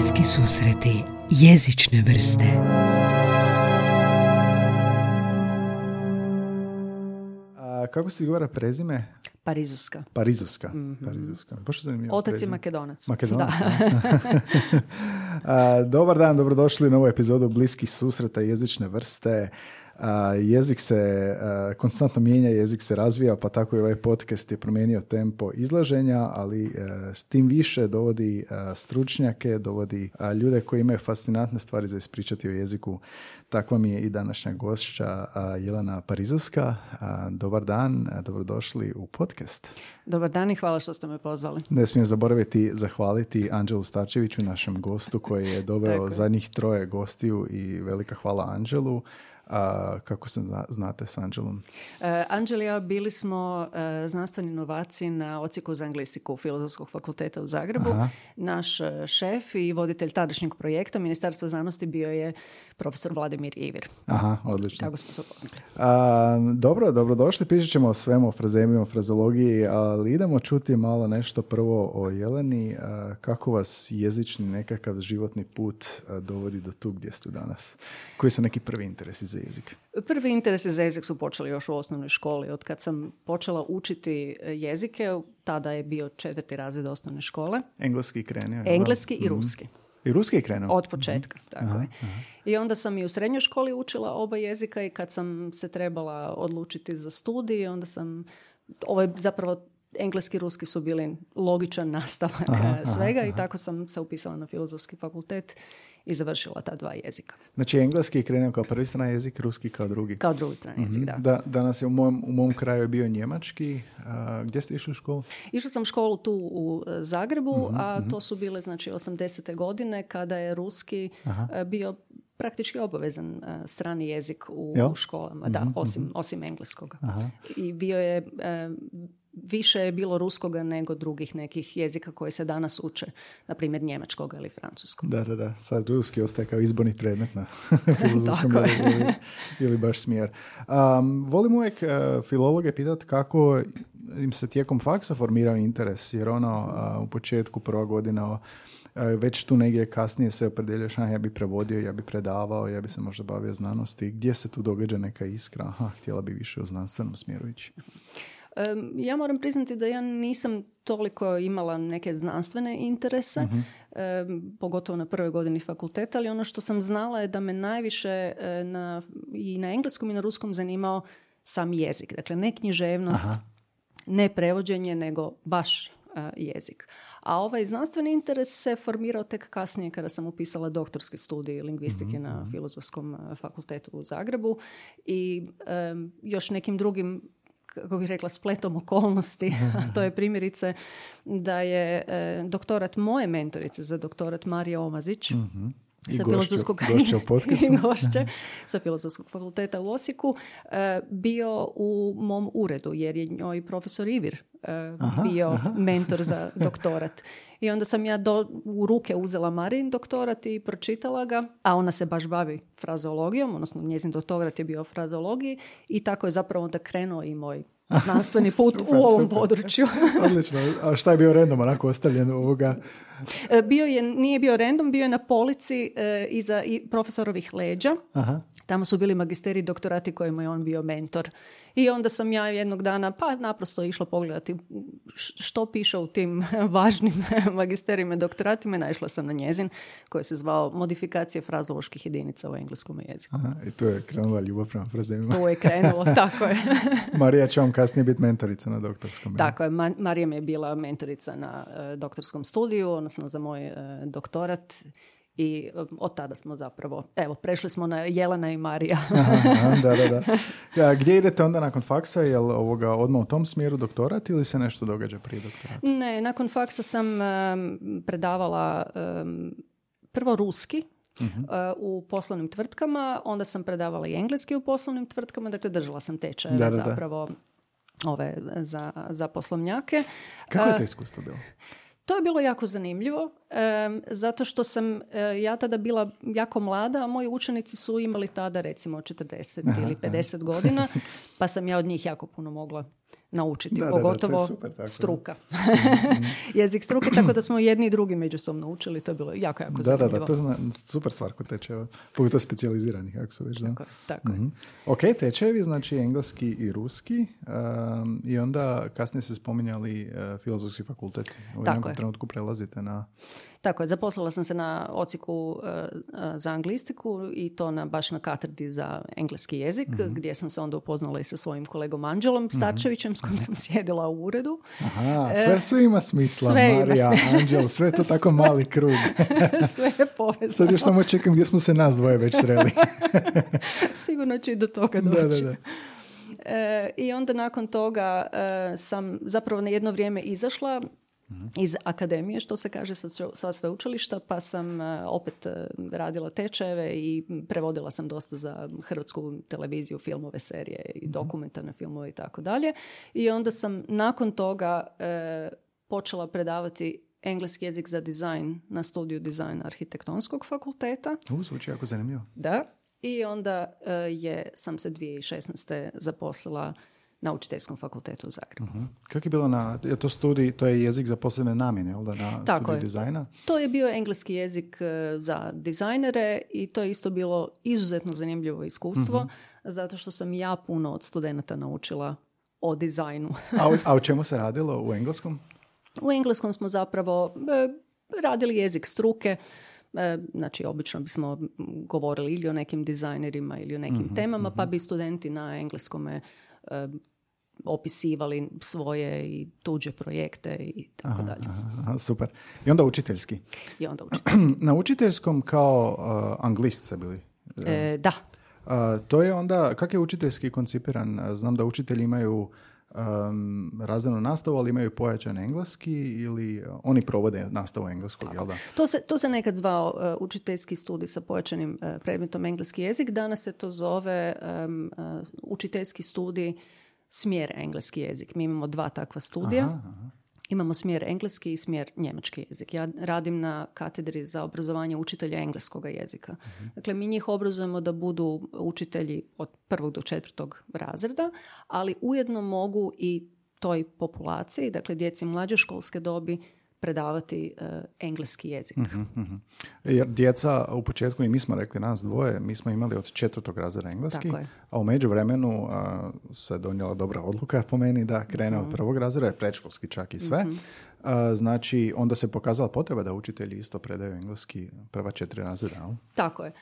Bliski susreti jezične vrste. Kako se govara prezime? Parizuska. Parizuska. Baš zanimljivo. Otac prezime. je Makedonac. Makedonac. Dobar dan, dobrodošli u novu epizodu Bliskih susreta jezične vrste. Jezik se konstantno mijenja, jezik se razvija, pa tako i ovaj podcast je promijenio tempo izlaženja, ali s tim više dovodi stručnjake, dovodi ljude koji imaju fascinantne stvari za ispričati o jeziku. Takva mi je i današnja gošća Jelena Parizovska. Dobar dan, dobrodošli u podcast. Dobar dan i hvala što ste me pozvali. Ne smijem zaboraviti zahvaliti Anđelu Starčeviću, našem gostu koji je doveo zadnjih 3 gostiju i velika hvala Anđelu. Kako se znate s Anđelom? Anđel i ja bili smo znanstveni novaci na odsjeku za anglistiku Filozofskog fakulteta u Zagrebu. Aha. Naš šef i voditelj tadašnjeg projekta Ministarstva znanosti bio je profesor Vladimir Ivir. Aha, odlično. Tako smo se upoznali. Dobrodošli. Pričat ćemo o svemu, o frazemima, o frazologiji, ali idemo čuti malo nešto prvo o Jeleni. Kako vas jezični nekakav životni put dovodi do tu gdje ste danas? Koji su neki prvi interesi za jezik? Prvi interesi za jezik su počeli još u osnovnoj školi. Od kad sam počela učiti jezike, tada je bio 4. razred osnovne škole. Engleski krenio? Engleski i ruski. I ruski je krenuo? Od početka, tako je. I onda sam i u srednjoj školi učila oba jezika i kad sam se trebala odlučiti za studij, onda sam, zapravo engleski i ruski su bili logičan nastavak svega i tako sam se upisala na Filozofski fakultet i završila ta 2 jezika. Znači engleski je krenuo kao prvi strani jezik, ruski kao drugi? Kao drugi strani jezik, da. Danas je u mom kraju je bio njemački. Gdje ste išli u školu? Išla sam u školu tu u Zagrebu, a to su bile 80. godine kada je ruski bio praktički obavezan strani jezik u školama, osim engleskog. I bio je... Više je bilo ruskoga nego drugih nekih jezika koji se danas uče, na primjer njemačkoga ili francuskog. Da. Sad ruski ostaje kao izborni predmet na filozofskom ili baš smjer. Volim uvijek filologe pitati kako im se tijekom faksa formirao interes, jer u početku prva godina već tu negdje kasnije se opredeljaš, ja bi prevodio, ja bi predavao, ja bi se možda bavio znanosti. Gdje se tu događa neka iskra? Htjela bi više u znanstvenom smjeru ići. Ja moram priznati da ja nisam toliko imala neke znanstvene interese, pogotovo na prvoj godini fakulteta, ali ono što sam znala je da me najviše i na engleskom i na ruskom zanimao sam jezik. Dakle, ne književnost, ne prevođenje, nego baš jezik. A ovaj znanstveni interes se formirao tek kasnije kada sam upisala doktorski studij lingvistike na Filozofskom fakultetu u Zagrebu i još nekim drugim, kako bih rekla, spletom okolnosti. To je primjerice da je doktorat moje mentorice za doktorat Marija Omazić, sa sa Filozofskog fakulteta u Osijeku, bio u mom uredu, jer je njoj profesor Ivir bio mentor za doktorat. I onda sam ja u ruke uzela Marijin doktorat i pročitala ga, a ona se baš bavi frazeologijom, odnosno njezin doktorat je bio o frazeologiji i tako je zapravo onda krenuo i moj znanstveni put u ovom području. Odlično. A šta je bio random onako ostavljen ovoga? Nije bio random, bio je na polici iza profesorovih leđa. Tamo su bili magisteriji doktorati kojima je on bio mentor. I onda sam ja jednog dana naprosto išla pogledati što piše u tim važnim magisterijima doktoratima i naišla sam na njezin koji se zvao Modifikacije frazoloških jedinica u engleskom jeziku. I tu je krenula ljubav prema frazemima. Tu je krenulo, tako je. Marija će vam kasnije biti mentorica na doktorskom. Tako je, Marija mi je bila mentorica na doktorskom studiju, odnosno za moj doktorat. I od tada smo zapravo, prešli smo na Jelena i Marija. Da. Gdje idete onda nakon faksa? Je li odmah u tom smjeru doktorat ili se nešto događa prije doktorata? Ne, nakon faksa sam predavala prvo ruski u poslovnim tvrtkama, onda sam predavala i engleski u poslovnim tvrtkama, dakle držala sam tečajeve zapravo za poslovnjake. Kako je to iskustvo bilo? To je bilo jako zanimljivo, zato što sam ja tada bila jako mlada, a moji učenici su imali tada recimo 40 ili 50 godina, pa sam ja od njih jako puno mogla naučiti, Da, pogotovo to je super, tako. struka. Jezik struke, tako da smo jedni i drugi međusobno učili, to je bilo jako, jako zanimljivo. Da, to je super stvar kod tečeva, pogotovo specijaliziranih, kako su već. Da? Tako je. Ok, tečevi, znači engleski i ruski, i onda kasnije se spominjali filozofski fakultet. U jednom trenutku prelazite na... Tako je, zaposlila sam se na odsjeku za anglistiku i to baš na katedri za engleski jezik, gdje sam se onda upoznala i sa svojim kolegom Anđelom Starčevićem, s kojim sam sjedila u uredu. Aha, sve ima smisla, sve Marija, Anđel, sve je to tako mali krug. Sve je povezano. Sad još samo čekam gdje smo se nas dvoje već sreli. Sigurno će i do toga doći. Da. I onda nakon toga sam zapravo na jedno vrijeme izašla iz akademije, što se kaže sa sveučilišta, pa sam opet radila tečajeve i prevodila sam dosta za hrvatsku televiziju, filmove, serije i dokumentarne filmove i tako dalje. I onda sam nakon toga počela predavati engleski jezik za dizajn na studiju dizajna Arhitektonskog fakulteta. Zvuči jako zanimljivo. Da. I onda sam se 2016. zaposlila na Učiteljskom fakultetu u Zagrebu. Kako je bilo to studij, to je jezik za posebne namjene, jel da, na tako studiju je. dizajna? To je bio engleski jezik za dizajnere i to je isto bilo izuzetno zanimljivo iskustvo, zato što sam ja puno od studenata naučila o dizajnu. A o čemu se radilo u engleskom? U engleskom smo zapravo radili jezik struke. Znači, obično bismo govorili ili o nekim dizajnerima ili o nekim temama, pa bi studenti na engleskome opisivali svoje i tuđe projekte i tako dalje. Super. I onda učiteljski. Na učiteljskom kao anglist ste bili? Da. To je onda, kako je učiteljski koncipiran? Znam da učitelji imaju razrednu nastavu, ali imaju pojačan engleski ili oni provode nastavu engleskog, jel da? To se nekad zvao učiteljski studij sa pojačanim predmetom engleski jezik. Danas se to zove učiteljski studij smjer engleski jezik. Mi imamo 2 takva studija. Imamo smjer engleski i smjer njemački jezik. Ja radim na katedri za obrazovanje učitelja engleskog jezika. Dakle, mi njih obrazujemo da budu učitelji od 1. do 4. razreda, ali ujedno mogu i toj populaciji, dakle djeci mlađe školske dobi, predavati engleski jezik. Jer djeca u početku, i mi smo rekli nas dvoje, mi smo imali od 4. razreda engleski, a u međuvremenu se donijela dobra odluka po meni da krene od 1. razreda, predškolski čak i sve. Znači, onda se pokazala potreba da učitelji isto predaju engleski prva 4 razreda. Tako je.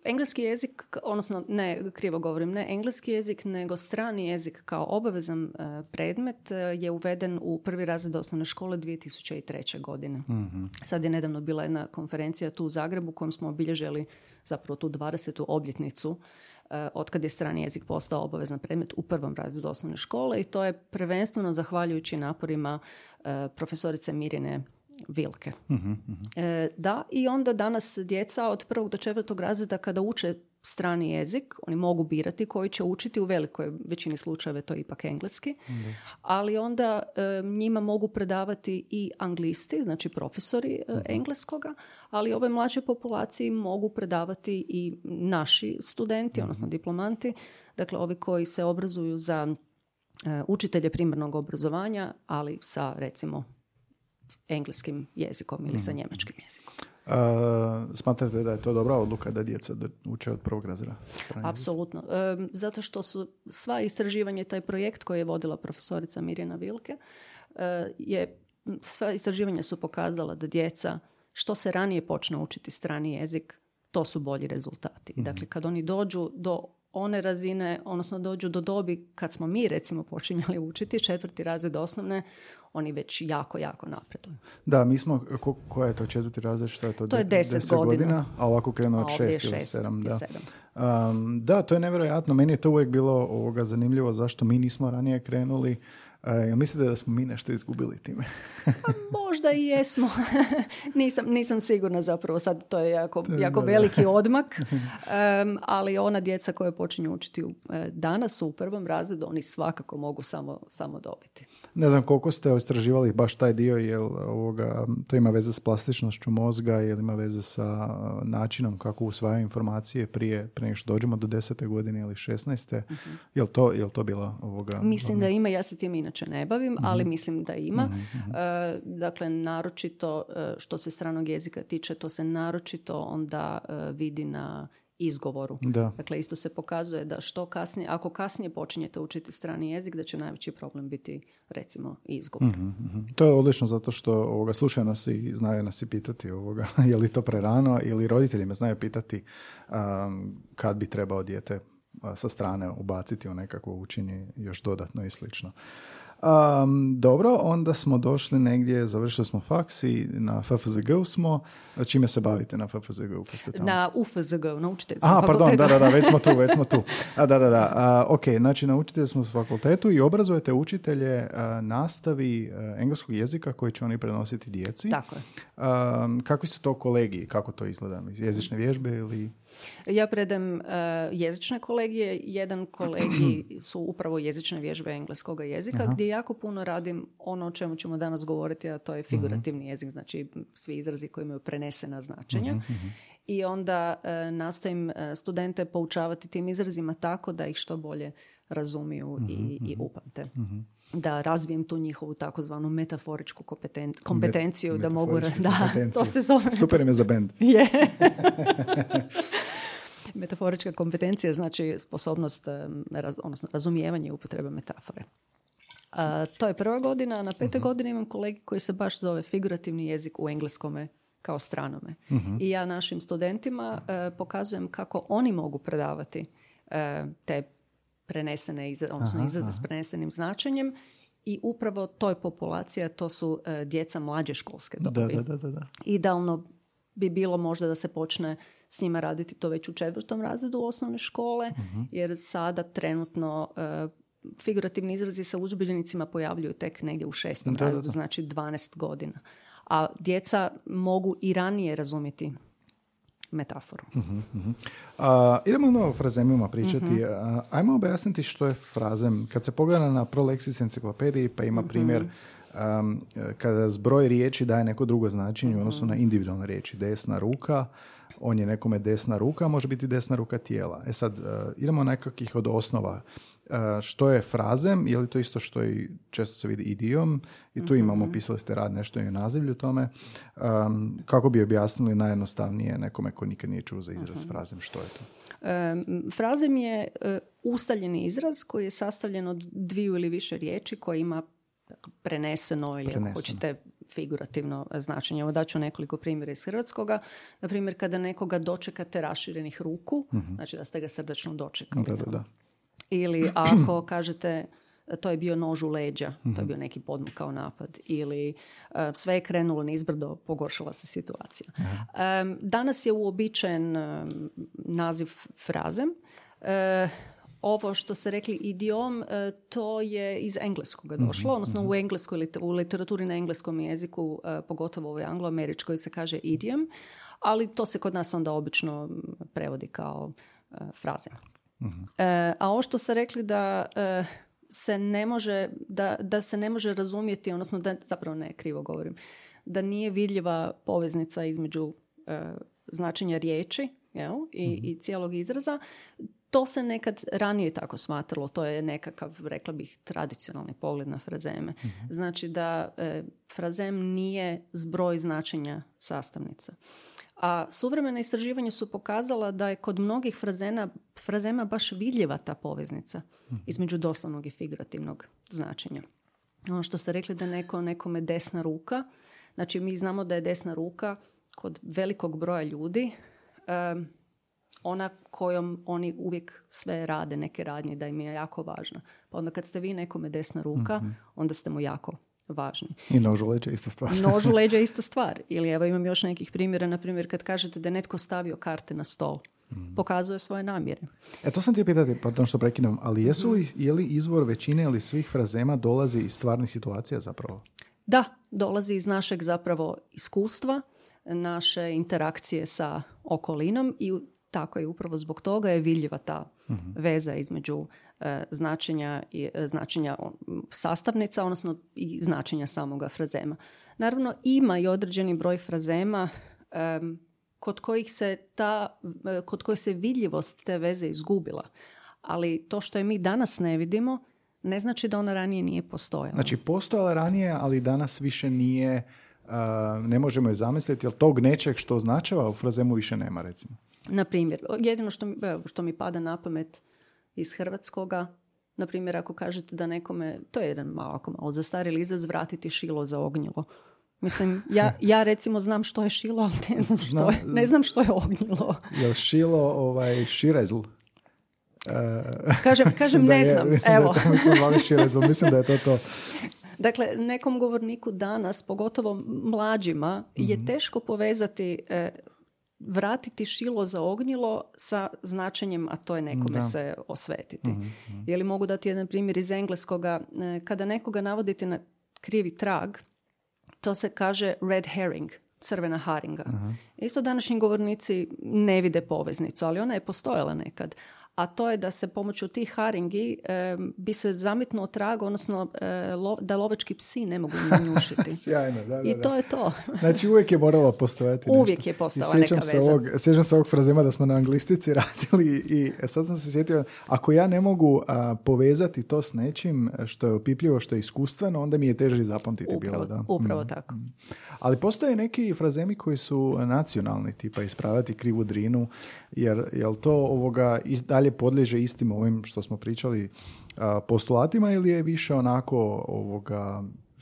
Engleski jezik, odnosno ne, krivo govorim, ne engleski jezik, nego strani jezik kao obavezan predmet je uveden u 1. razred osnovne škole 2003. godine. Sad je nedavno bila jedna konferencija tu u Zagrebu kojom smo obilježili zapravo tu 20. obljetnicu otkad je strani jezik postao obavezan predmet u 1. razredu osnovne škole i to je prvenstveno zahvaljujući naporima profesorice Mirjane Vilke. Da, i onda danas djeca od 1. do 4. razreda kada uče strani jezik, oni mogu birati koji će učiti, u velikoj većini slučajeva to je ipak engleski, ali onda njima mogu predavati i anglisti, znači profesori engleskoga, ali ove mlađe populaciji mogu predavati i naši studenti, odnosno diplomanti, dakle ovi koji se obrazuju za učitelje primarnog obrazovanja, ali sa recimo engleskim jezikom ili sa njemačkim jezikom. Smatrate da je to dobra odluka da djeca uče od 1. razreda? Apsolutno. Zato što su sva istraživanja, taj projekt koji je vodila profesorica Mirjana Vilke, sva istraživanja su pokazala da djeca što se ranije počne učiti strani jezik, to su bolji rezultati. Dakle, kad oni dođu do one razine, odnosno dođu do dobi kad smo mi recimo počinjali učiti 4. razred osnovne, oni već jako, jako napreduju. Da, mi smo, koja je to 4. razred, što je to? To je 10 godina. A ovako krenuo od 6 ili 7. Da. 7. Da, to je nevjerojatno. Meni je to uvijek bilo zanimljivo zašto mi nismo ranije krenuli. Mislite da smo mi nešto izgubili time? Možda i jesmo. Nisam sigurna zapravo. Sad to je jako veliki odmak. Ali ona djeca koja počinju učiti danas u prvom razredu, oni svakako mogu samo dobiti. Ne znam koliko ste istraživali baš taj dio, jel to ima veze s plastičnošću mozga ili ima veze sa načinom kako usvajaju informacije prije nego što dođemo do 10. godine ili 16. Jel to bila Mislim da ima, ja se tim inače ne bavim, ali mislim da ima. Dakle, naročito što se stranog jezika tiče, to se naročito onda vidi na izgovoru. Da. Dakle, isto se pokazuje da što kasnije, ako kasnije počinjete učiti strani jezik, da će najveći problem biti, recimo, izgovor. To je odlično zato što slušaju nas i znaju nas i pitati je li to prerano, ili roditelji me znaju pitati kad bi trebao dijete sa strane ubaciti u nekakvo učenje još dodatno i slično. Dobro, onda smo došli negdje, završili smo faks i na FFZG smo. Čime se bavite na FFZG? Na UFZG, na učiteljskom fakultetu. Pardon, da, već smo tu. Ok, znači na učiteljskom fakultetu i obrazujete učitelje nastavi engleskog jezika koji će oni prenositi djeci. Tako je. Kakvi su to kolegiji? Kako to izgleda? Jezične vježbe ili... Ja predam jezične kolegije. Jedan kolegij su upravo jezične vježbe engleskog jezika, gdje jako puno radim ono o čemu ćemo danas govoriti, a to je figurativni jezik, znači svi izrazi koji imaju prenesena značenja. I onda nastojim studente poučavati tim izrazima tako da ih što bolje razumiju i upamte. Da razvijem tu njihovu takozvanu metaforičku kompetenciju, da mogu... Da, to se zove. Super ime za bend. Je. Metaforička kompetencija znači sposobnost, odnosno razumijevanje i upotreba metafore. To je prva godina, a na 5. godini imam kolegi koji se baš zove figurativni jezik u engleskome kao stranome. I ja našim studentima pokazujem kako oni mogu predavati te prenesene izraze s prenesenim značenjem i upravo toj populaciji, to su djeca mlađe školske dobi. Da. Idealno bi bilo možda da se počne s njima raditi to već u 4. razredu osnovne škole, jer sada trenutno figurativni izrazi sa udžbenicima pojavljuju tek negdje u 6. razredu, znači 12 godina. A djeca mogu i ranije razumjeti metaforu. Idemo o frazemima pričati. Ajmo objasniti što je frazem. Kad se pogleda na ProLexis enciklopediji, pa ima primjer kada zbroj riječi daje neko drugo značenje u odnosu na individualne riječi. Desna ruka, on je nekome desna ruka, može biti desna ruka tijela. Sad, idemo nekakvih od osnova. Što je frazem? Je li to isto što i često se vidi idiom? I tu imamo, pisali ste rad, nešto i u nazivlju tome. Kako bi objasnili najjednostavnije nekome ko nikad nije čuo za izraz frazem? Što je to? Frazem je ustaljeni izraz koji je sastavljen od 2 ili više riječi koje ima preneseno ili ako hoćete figurativno značenje. Evo daću nekoliko primjera iz hrvatskoga. Na primjer, kada nekoga dočekate raširenih ruku, znači da ste ga srdačno dočekali. Da. Ili ako kažete to je bio nož u leđa, to je bio neki podmukao napad. Ili sve je krenulo nizbrdo, pogoršala se situacija. Danas je uobičajen naziv frazem. Ovo što ste rekli idiom, to je iz engleskoga došlo, odnosno u literaturi na engleskom jeziku, pogotovo ovoj angloameričkoj se kaže idiom, ali to se kod nas onda obično prevodi kao fraze. A ovo što ste rekli da se ne može, da se ne može razumjeti, odnosno da, zapravo ne, krivo govorim, da nije vidljiva poveznica između značenja riječi i cijelog izraza. To se nekad ranije tako smatralo, to je nekakav, rekla bih, tradicionalni pogled na frazeme. Znači da frazem nije zbroj značenja sastavnica. A suvremena istraživanja su pokazala da je kod mnogih frazema baš vidljiva ta poveznica između doslovnog i figurativnog značenja. Ono što ste rekli da nekome desna ruka, znači mi znamo da je desna ruka kod velikog broja ljudi ona kojom oni uvijek sve rade, neke radnje, da im je jako važna. Pa onda kad ste vi nekome desna ruka, onda ste mu jako važni. I nož u leđa ista stvar. Nož u leđa ista stvar. Ili evo imam još nekih primjera, na primjer kad kažete da je netko stavio karte na stol. pokazuje svoje namjere. To sam ti pitati, pardon što prekinem, ali je li izvor većine ili svih frazema dolazi iz stvarnih situacija zapravo? Da, dolazi iz našeg zapravo iskustva, naše interakcije sa okolinom i tako je upravo zbog toga je vidljiva ta veza između značenja sastavnica, odnosno i značenja samoga frazema. Naravno, ima i određeni broj frazema kod kojih se vidljivost te veze izgubila. Ali to što je mi danas ne vidimo, ne znači da ona ranije nije postojala. Znači, postojala ranije, ali danas više nije, ne možemo je zamisliti, jer tog nečeg što označava u frazemu više nema, recimo. Na primjer, jedino što mi pada na pamet iz hrvatskoga, na primjer, ako kažete da nekome, to je jedan malo zastarjeli izraz, vratiti šilo za ognjilo. Mislim, ja recimo znam što je šilo, ali ne znam što je ognjilo. Je li šilo širezl? Kažem ne znam. Evo. Mislim da je to. Dakle, nekom govorniku danas, pogotovo mlađima, je teško povezati vratiti šilo za ognjilo sa značenjem, a to je nekome se osvetiti. Je li mogu dati jedan primjer iz engleskoga? Kada nekoga navodite na krivi trag, to se kaže red herring, crvena haringa. Isto današnji govornici ne vide poveznicu, ali ona je postojala nekad. A to je da se pomoću tih haringi bi se zametnuo trag, odnosno da lovački psi ne mogu njušiti. Sjajno, da. I to je to. Znači uvijek je moralo postojati nešto. Uvijek je postojala neka veza. Sjećam se ovog frazema da smo na anglistici radili i sad sam se sjetio, ako ja ne mogu povezati to s nečim što je opipljivo, što je iskustveno, onda mi je teže zapamtiti. Upravo tako. Ali postoje neki frazemi koji su nacionalni, tipa ispravljati krivu drinu, jer to dalje podliježe istim ovim što smo pričali postulatima ili je više onako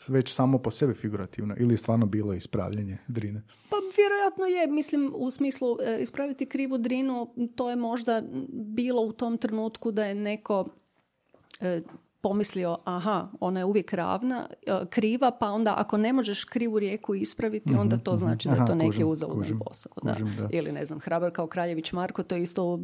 već samo po sebi figurativno ili je stvarno bilo ispravljanje drine? Pa vjerojatno je, mislim u smislu ispraviti krivu drinu, to je možda bilo u tom trenutku da je neko pomislio, ona je uvijek kriva, pa onda ako ne možeš krivu rijeku ispraviti, onda to znači da je to neki uzaludan posao. Ili ne znam, hrabar kao Kraljević Marko, to je isto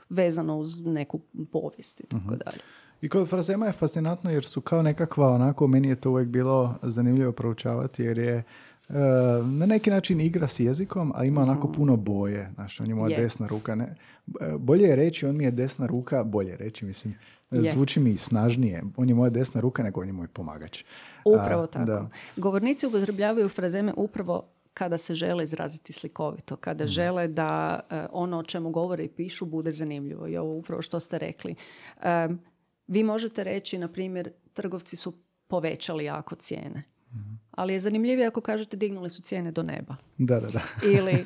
vezano uz neku povijest i tako dalje. I kod frazema je fascinantno jer su kao nekakva, onako, meni je to uvijek bilo zanimljivo proučavati jer je na neki način igra s jezikom, a ima onako puno boje. Znaš, on je moja desna ruka. Bolje je reći, on mi je desna ruka, mislim. Zvuči mi snažnije. On je moja desna ruka nego on je moj pomagač. Upravo tako. Da. Govornici upotrebljavaju frazeme upravo kada se žele izraziti slikovito, kada žele da ono o čemu govore i pišu bude zanimljivo. I ovo upravo što ste rekli. Vi možete reći, na primjer, trgovci su povećali jako cijene. Ali je zanimljivije ako kažete dignuli su cijene do neba. Da. Ili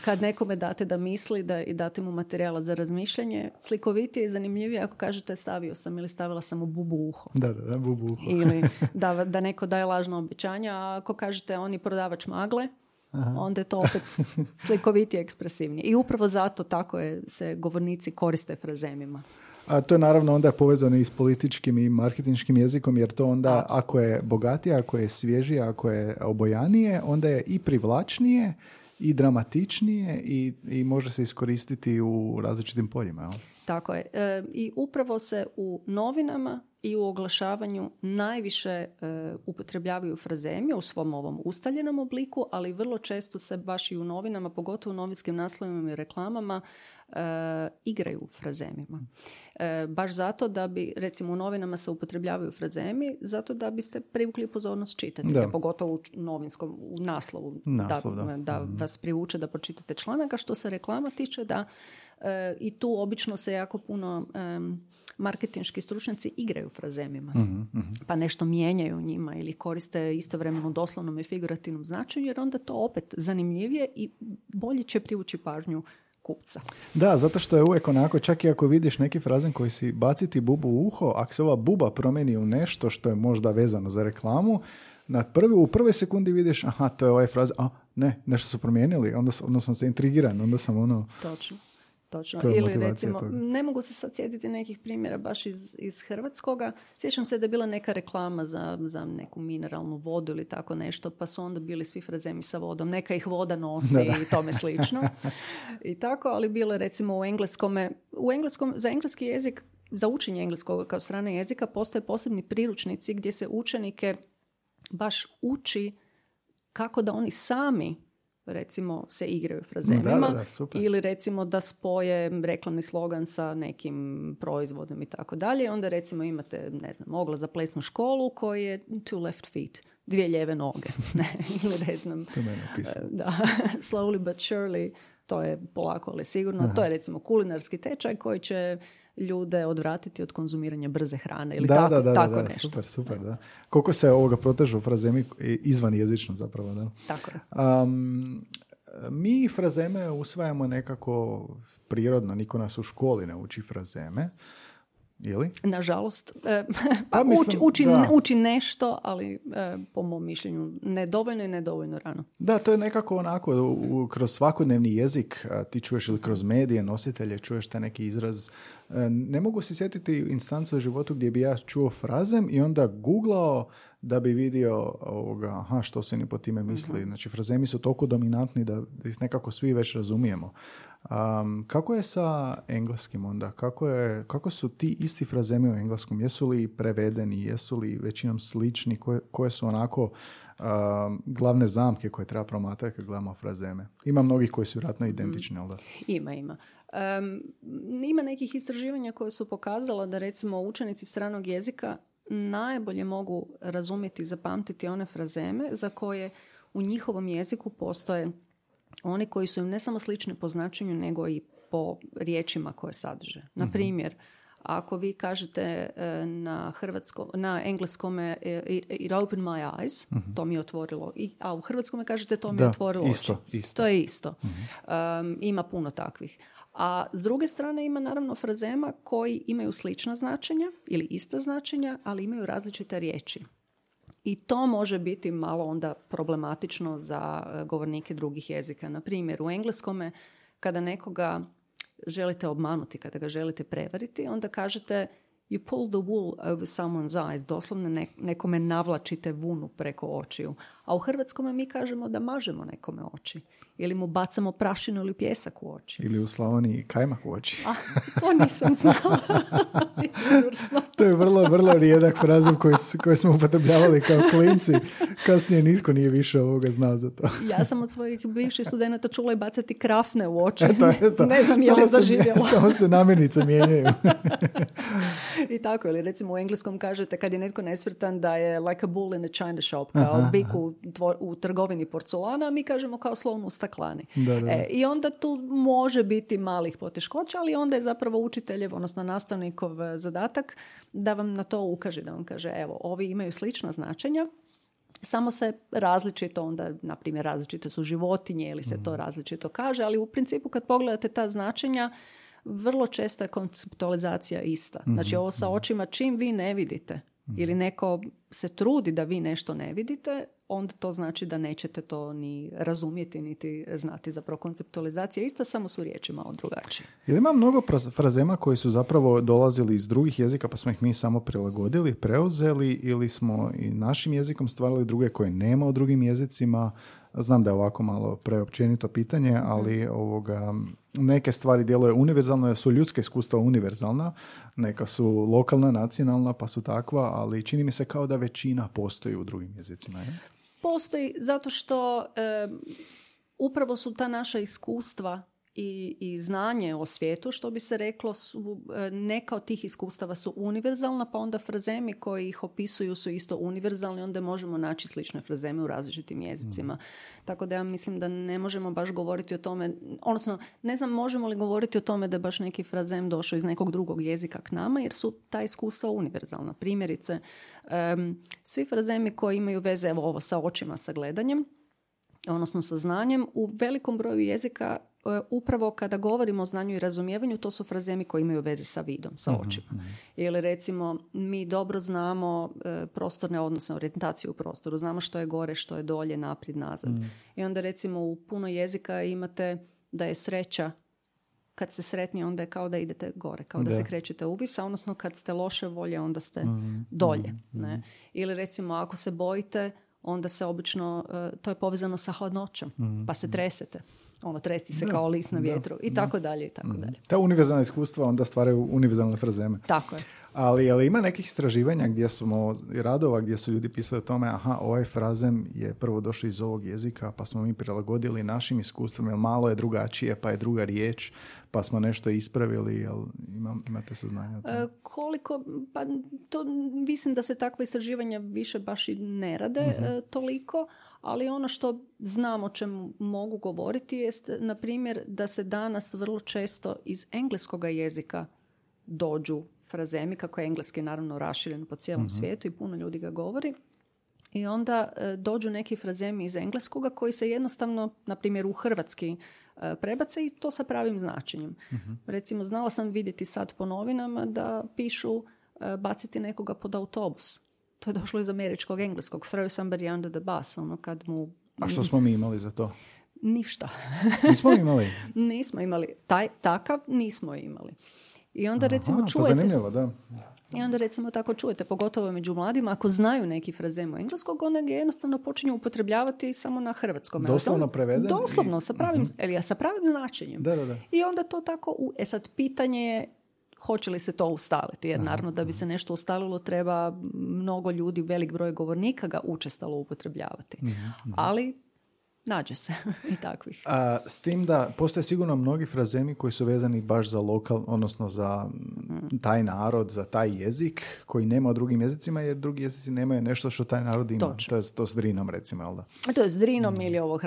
kad nekome date da misli i date mu materijala za razmišljanje, slikovitije i zanimljivije ako kažete stavio sam ili stavila sam u bubu uho. Da, bubu uho. Ili da neko daje lažno obećanja, a ako kažete on je prodavač magle, onda je to opet slikovitije, ekspresivnije. I upravo zato tako se govornici koriste frazemima. A to je naravno onda povezano i s političkim i marketinškim jezikom, jer to onda ako je bogatije, ako je svježije, ako je obojanije, onda je i privlačnije i dramatičnije i može se iskoristiti u različitim poljima. Jel? Tako je. I upravo se u novinama i u oglašavanju najviše upotrebljavaju frazemi u svom ovom ustaljenom obliku, ali vrlo često se baš i u novinama, pogotovo u novinskim naslovima i reklamama, igraju frazemima. Baš zato da bi, recimo u novinama se upotrebljavaju frazemi, zato da biste privukli pozornost čitatelja, pogotovo u naslovu, da vas privuče da pročitate članak, a što se reklama tiče da i tu obično se jako puno marketinški stručnjaci igraju frazemima. Pa nešto mijenjaju njima ili koriste istovremeno doslovnom i figurativnom značenju, jer onda to opet zanimljivije i bolje će privući pažnju kupca. Da, zato što je uvijek onako, čak i ako vidiš neki frazem koji si baciti bubu u uho, ako se ova buba promijeni u nešto što je možda vezano za reklamu, u prvoj sekundi vidiš, to je ovaj fraz, ne, nešto su promijenili, onda sam se intrigiran, onda sam Točno. Točno. To je Ili motivacija recimo, toga. ne mogu se sad sjetiti nekih primjera baš iz hrvatskoga. Sjećam se da je bila neka reklama za neku mineralnu vodu ili tako nešto, pa su onda bili svi frazemi sa vodom. Neka ih voda nosi i tome slično. I tako, ali bilo je recimo u engleskom, za engleski jezik, za učenje engleskog kao strane jezika postoje posebni priručnici gdje se učenike baš uči kako da oni sami recimo se igraju frazemima ili recimo da spoje reklamni slogan sa nekim proizvodom i tako dalje. Onda recimo imate, ne znam, oglas za plesnu školu koji je two left feet, 2 lijeve noge. Ili ne znam, da, slowly but surely, to je polako ali sigurno. To je recimo kulinarski tečaj koji će ljude odvratiti od konzumiranja brze hrane ili tako nešto. Super, da. Koliko se ovoga protežu frazemi izvan jezično zapravo, da? Tako je. Mi frazeme usvajamo nekako prirodno, niko nas u školi ne uči frazeme. Ili? Nažalost, uči nešto, ali po mom mišljenju nedovoljno i nedovoljno rano. Da, to je nekako onako, kroz svakodnevni jezik ti čuješ ili kroz medije, nositelje, čuješ taj neki izraz. Ne mogu se sjetiti instancu u životu gdje bi ja čuo frazem i onda googlao da bi vidio što se ni po time misli. Znači, frazemi su toliko dominantni da ih nekako svi već razumijemo. Kako je sa engleskim onda? Kako su ti isti frazemi u engleskom? Jesu li prevedeni? Jesu li većinom slični? Koje su onako glavne zamke koje treba promatrati kad gledamo frazeme? Ima mnogih koji su vjerojatno identični, ali da? Ima. Ima nekih istraživanja koje su pokazala da recimo učenici stranog jezika najbolje mogu razumjeti i zapamtiti one frazeme za koje u njihovom jeziku postoje oni koji su im ne samo slični po značenju, nego i po riječima koje sadrže. Na primjer, ako vi kažete na engleskome it opened my eyes, to mi je otvorilo, a u hrvatskome kažete to mi je otvorilo oči. To je isto. Ima puno takvih. A s druge strane ima naravno frazema koji imaju slična značenja ili ista značenja, ali imaju različite riječi. I to može biti malo onda problematično za govornike drugih jezika. Na primjer, u engleskome kada nekoga želite obmanuti, kada ga želite prevariti, onda kažete you pull the wool over someone's eyes, doslovno nekome navlačite vunu preko očiju. A u hrvatskome mi kažemo da mažemo nekome oči. Ili mu bacamo prašinu ili pijesak u oči. Ili u Slavoniji kajmak u oči. To nisam znala. To je vrlo, vrlo rijedak frazem koji smo upotrebljavali kao klinci. Kasnije nitko nije više ovoga znao za to. Ja sam od svojih bivših studenata čula i bacati krafne u oči. Eto. Ne znam je li zaživjelo. Samo se namirnice mijenjaju. I tako, ili recimo u engleskom kažete kad je netko nesvrtan da je like a bull in a china shop, kao bik u trgovini porcelana, a mi kažemo kao slon u staklani. I onda tu može biti malih poteškoća, ali onda je zapravo učiteljev, odnosno nastavnikov zadatak da vam na to ukaže, da vam kaže evo, ovi imaju slična značenja, samo se različito onda, na primjer, različite su životinje ili se to različito kaže, ali u principu kad pogledate ta značenja, vrlo često je konceptualizacija ista. Znači ovo sa očima, čim vi ne vidite ili neko se trudi da vi nešto ne vidite, onda to znači da nećete to ni razumjeti, niti znati. Zapravo konceptualizacija ista, samo su riječi malo drugačije. Ili ima mnogo frazema koji su zapravo dolazili iz drugih jezika pa smo ih mi samo prilagodili, preuzeli ili smo i našim jezikom stvarali druge koje nema u drugim jezicima? Znam da je ovako malo preopćenito pitanje, ali neke stvari djeluje univerzalno, jer su ljudska iskustva univerzalna, neka su lokalna, nacionalna, pa su takva, ali čini mi se kao da većina postoji u drugim jezicima. Je? Postoji zato što upravo su ta naša iskustva i znanje o svijetu, što bi se reklo, neka od tih iskustava su univerzalna, pa onda frazemi koji ih opisuju su isto univerzalni, onda možemo naći slične frazeme u različitim jezicima. Tako da ja mislim da ne možemo baš govoriti o tome, odnosno ne znam možemo li govoriti o tome da je baš neki frazem došao iz nekog drugog jezika k nama, jer su ta iskustva univerzalna. Primjerice, svi frazemi koji imaju veze, evo ovo sa očima, sa gledanjem, odnosno sa znanjem, u velikom broju jezika upravo kada govorimo o znanju i razumijevanju, to su frazemi koji imaju veze sa vidom, sa očima. Ili recimo, mi dobro znamo prostorne odnose, orijentaciju u prostoru, znamo što je gore, što je dolje, naprijed, nazad. I onda recimo u puno jezika imate da je sreća kad ste sretni, onda je kao da idete gore, kao da se krećete uvis, a odnosno kad ste loše volje, onda ste dolje. Ne? Ili recimo, ako se bojite, onda se obično, to je povezano sa hladnoćom, pa se tresete. Tresti se kao list na vjetru i tako dalje i tako dalje. Ta univerzalna iskustva onda stvaraju univerzalne frazeme. Tako je. Ali ima nekih istraživanja radova gdje su ljudi pisali o tome, ovaj frazem je prvo došao iz ovog jezika, pa smo mi prilagodili našim iskustvima, jer malo je drugačije, pa je druga riječ, pa smo nešto ispravili, jel imate saznanja o tome? Pa to mislim da se takva istraživanja više baš i ne rade toliko, ali ono što znam o čemu mogu govoriti jest, na primjer, da se danas vrlo često iz engleskoga jezika dođu frazemi, kako je engleski naravno raširen po cijelom svijetu i puno ljudi ga govori. I onda dođu neki frazemi iz engleskoga koji se jednostavno, na primjer, u hrvatski prebace i to sa pravim značenjem. Recimo, znala sam vidjeti sad po novinama da pišu baciti nekoga pod autobus. To je došlo iz američkog engleskog. Throw somebody under the bus. Kad mu... A što smo mi imali za to? Ništa. Nismo imali? Nismo imali. Takav nismo imali. I onda recimo čujete... Pa zanimljivo, da. I onda recimo tako čujete, pogotovo među mladima, ako znaju neki frazem engleskog, onda ga jednostavno počinju upotrebljavati samo na hrvatskom. Doslovno preveden? Doslovno, sa pravim značenjem. Da. I onda to tako... sad, pitanje je hoće li se to ustaliti, jer naravno da bi se nešto ustalilo treba mnogo ljudi, velik broj govornika ga učestalo upotrebljavati. Ali nađe se i takvih. S tim da postoje sigurno mnogi frazemi koji su vezani baš za odnosno za taj narod, za taj jezik koji nema u drugim jezicima, jer drugi jezici nemaju nešto što taj narod ima. Točno. To s Drinom, recimo, jel da? To je s Drinom ili ovo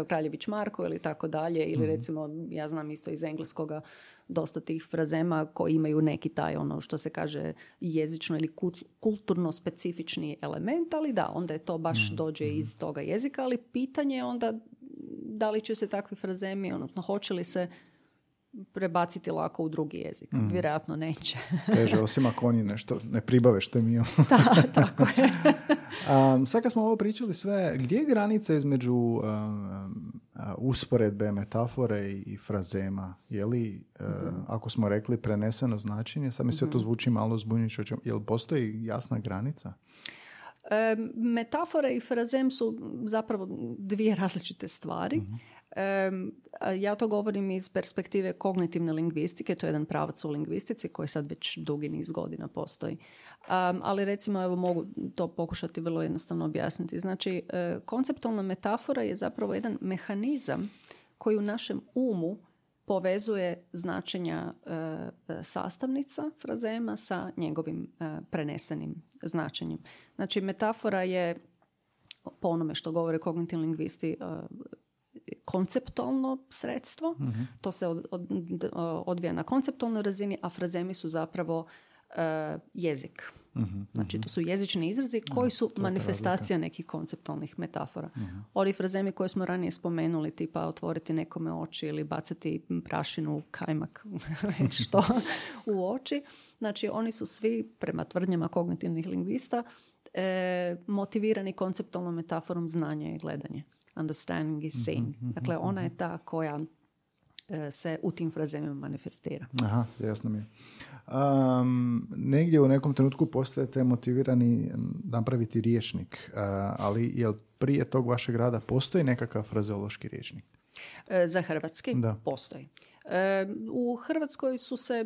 Kraljević Marko ili tako dalje, ili recimo, ja znam isto iz engleskoga dosta tih frazema koji imaju neki taj, što se kaže, jezično ili kulturno specifični element, ali da, onda je to baš dođe iz toga jezika, ali pitanje je onda da li će se takvi frazemi, odnosno hoće li se prebaciti lako u drugi jezik. Vjerojatno neće. Teže, osim ako oni nešto ne pribave što mi. Da, tako je. Sad kad smo ovo pričali sve, gdje je granica između usporedbe, metafore i frazema? Je li, ako smo rekli preneseno značenje, sad mi sve to zvuči malo zbunjujuće, je li postoji jasna granica? Metafore i frazem su zapravo dvije različite stvari. Ja to govorim iz perspektive kognitivne lingvistike, to je jedan pravac u lingvistici koji sad već dugi niz godina postoji. Ali recimo, evo, mogu to pokušati vrlo jednostavno objasniti. Znači, konceptualna metafora je zapravo jedan mehanizam koji u našem umu povezuje značenja sastavnica frazema sa njegovim prenesenim značenjem. Znači, metafora je, po onome što govore kognitivni lingvisti, konceptualno sredstvo. To se odvija na konceptualnoj razini, a frazemi su zapravo jezik. Znači, to su jezični izrazi koji su manifestacija nekih konceptualnih metafora. Ovi frazemi koje smo ranije spomenuli, tipa otvoriti nekome oči ili bacati prašinu, kajmak, što u oči. Znači, oni su svi, prema tvrdnjama kognitivnih lingvista, motivirani konceptualnom metaforom znanja i gledanja. Understanding is seeing. Dakle, ona je ta koja se u tim frazemima manifestira. Aha, jasno mi je. Negdje u nekom trenutku postajete motivirani napraviti rječnik, ali jel prije tog vašeg rada postoji nekakav frazeološki rječnik? Za hrvatski postoji. U Hrvatskoj su se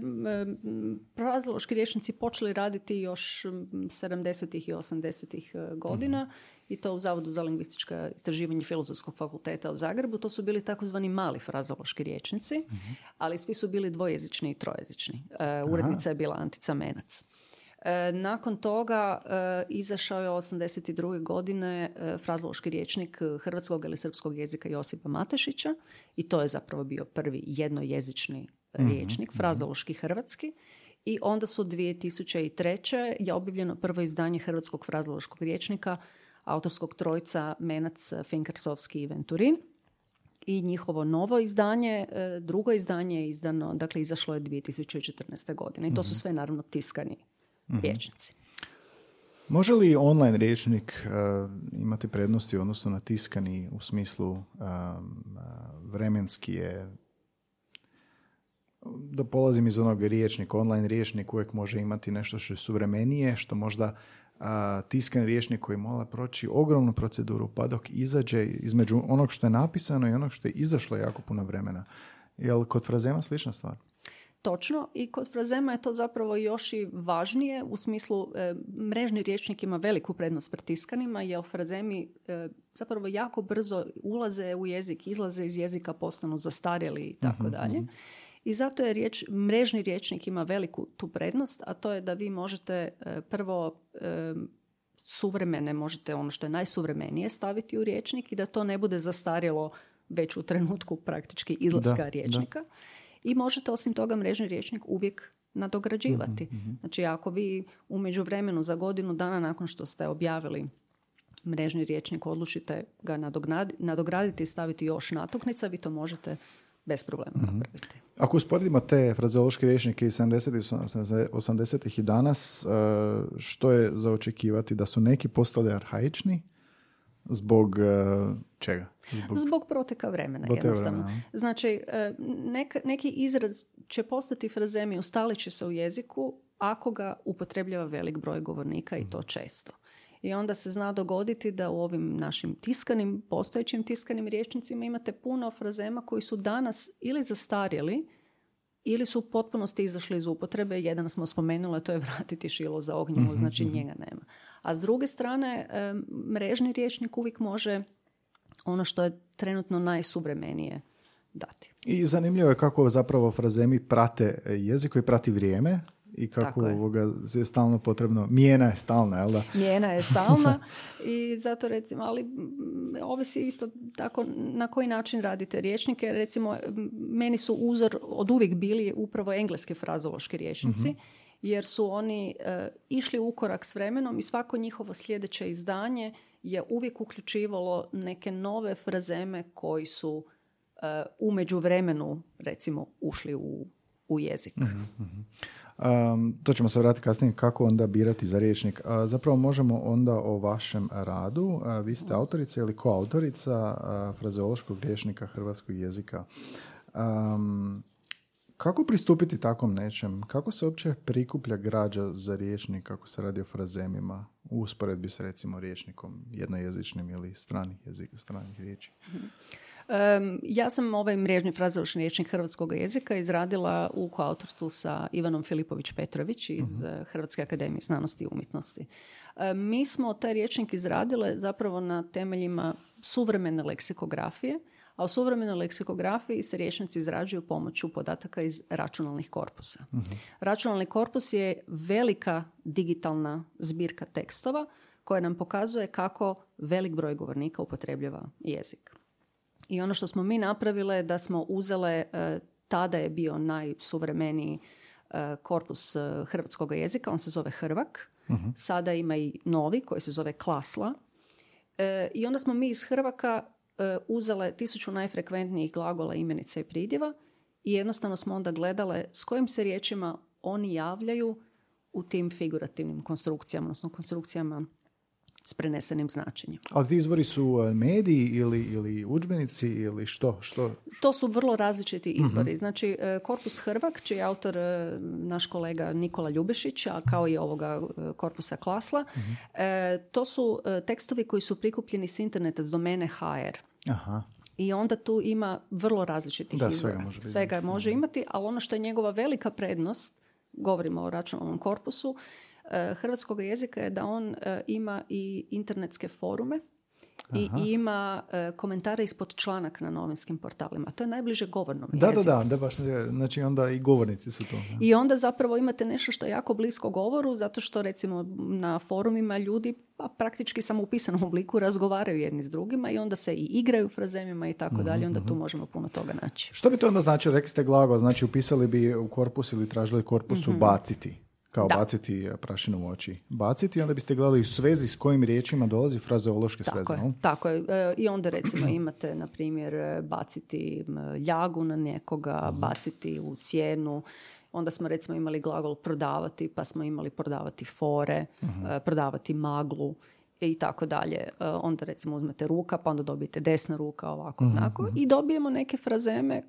frazeološki rječnici počeli raditi još 70. i 80. godina i to u Zavodu za lingvistička istraživanja Filozofskog fakulteta u Zagrebu. To su bili takozvani mali frazeološki rječnici, ali svi su bili dvojezični i trojezični. Urednica je bila Antica Menac. Nakon toga izašao je 82. godine frazeološki rječnik hrvatskog ili srpskog jezika Josipa Matešića i to je zapravo bio prvi jednojezični rječnik, frazeološki hrvatski. I onda su 2003. je objavljeno prvo izdanje hrvatskog frazeološkog rječnika autorskog trojca Menac, Finkersovski i Venturin. I njihovo novo izdanje, drugo izdanje je izdano, dakle izašlo je 2014. godine. I to su sve naravno tiskani rječnici. Može li online rječnik imati prednosti u odnosu na tiskani u smislu vremenski je da polazim iz onog riječnika, online riječnik uvijek može imati nešto što je suvremenije, što možda tiskan riječnik koji mora proći ogromnu proceduru pa dok izađe između onog što je napisano i onog što je izašlo jako puno vremena. Jel kod frazema slična stvar? Točno, i kod frazema je to zapravo još i važnije u smislu mrežni rječnik ima veliku prednost pred tiskanima, jer frazemi zapravo jako brzo ulaze u jezik, izlaze iz jezika, postanu zastarjeli i tako dalje. I zato je mrežni rječnik ima veliku tu prednost, a to je da vi možete prvo suvremene, možete ono što je najsuvremenije staviti u rječnik i da to ne bude zastarjelo već u trenutku praktički izlaska rječnika. Da. I možete osim toga mrežni rječnik uvijek nadograđivati. Znači ako vi u međuvremenu za godinu dana nakon što ste objavili mrežni rječnik odlučite ga nadograditi i staviti još natuknica, vi to možete bez problema napraviti. Ako usporedimo te frazeološke rječnike iz 70. 80. i danas, što je za očekivati? Da su neki postali arhaični? Zbog čega? Zbog proteka vremena, jednostavno. Znači, neki izraz će postati frazemi, ustalit će se u jeziku ako ga upotrebljava velik broj govornika i to često. I onda se zna dogoditi da u ovim našim postojećim tiskanim rječnicima imate puno frazema koji su danas ili zastarjeli ili su u potpunosti izašli iz upotrebe. Jedan smo spomenuli, to je vratiti šilo za ognjivo, znači njega nema. A s druge strane, mrežni rječnik uvijek može ono što je trenutno najsuvremenije dati. I zanimljivo je kako zapravo frazemi prate jezik koji prati vrijeme i kako je stalno potrebno. Mijena je stalna, jel da? Mijena je stalna i zato recimo, ali ovisi isto tako na koji način radite rječnike. Recimo, meni su uzor od uvijek bili upravo engleski frazološki rječnici, jer su oni išli u korak s vremenom i svako njihovo sljedeće izdanje je uvijek uključivalo neke nove frazeme koji su u međuvremenu recimo ušli u jezik. To ćemo se vratiti kasnije kako onda birati za rječnik. Zapravo možemo onda o vašem radu. Vi ste autorica ili koautorica frazeološkog rječnika hrvatskog jezika. Kako pristupiti takvom nečem? Kako se uopće prikuplja građa za rječnik kako se radi o frazemima u usporedbi s recimo rječnikom jednojezičnim ili stranih riječi? Ja sam ovaj mrežni frazeološki rječnik hrvatskog jezika izradila u koautorstvu sa Ivanom Filipović-Petrović iz Hrvatske akademije znanosti i umjetnosti. Mi smo taj rječnik izradile zapravo na temeljima suvremene leksikografije, a u suvremenoj leksikografiji se rječnici izrađuju pomoću podataka iz računalnih korpusa. Računalni korpus je velika digitalna zbirka tekstova koja nam pokazuje kako velik broj govornika upotrebljava jezik. I ono što smo mi napravile je da smo uzele, tada je bio najsuvremeniji korpus hrvatskog jezika, on se zove Hrvak, sada ima i novi koji se zove Klasla. I onda smo mi iz Hrvaka uzele 1000 najfrekventnijih glagola, imenica i pridjeva i jednostavno smo onda gledale s kojim se riječima oni javljaju u tim figurativnim konstrukcijama, odnosno konstrukcijama s prenesenim značenjem. Ali ti izvori su mediji ili udžbenici ili što? To su vrlo različiti izvori. Znači, korpus Hrvak, čiji je autor naš kolega Nikola Ljubešić, a kao i ovoga korpusa Klasla, to su tekstovi koji su prikupljeni s interneta s domene HR. Aha. I onda tu ima vrlo različitih izvora. Svega može imati, ali ono što je njegova velika prednost, govorimo o računalnom korpusu, hrvatskog jezika je da on ima i internetske forume i ima komentare ispod članaka na novinskim portalima. To je najbliže govornom jeziku. Da, baš. Znači onda i govornici su to. I onda zapravo imate nešto što je jako blisko govoru, zato što recimo na forumima ljudi praktički samo u pisanom obliku razgovaraju jedni s drugima i onda se i igraju frazemima i tako dalje. Onda tu možemo puno toga naći. Što bi to onda značilo? Rekli ste glagol, znači upisali bi u korpus ili tražili korpusu baciti. Kao baciti prašinu u oči. Baciti, onda biste gledali u svezi s kojim riječima dolazi frazeološke sveze. Tako je. I onda recimo imate, na primjer, baciti ljagu na nekoga, baciti u sjenu. Onda smo recimo imali glagol prodavati, pa smo imali prodavati fore, prodavati maglu i tako dalje. Onda recimo uzmete ruka, pa onda dobijete desna ruka, ovako, onako. I dobijemo neke frazeme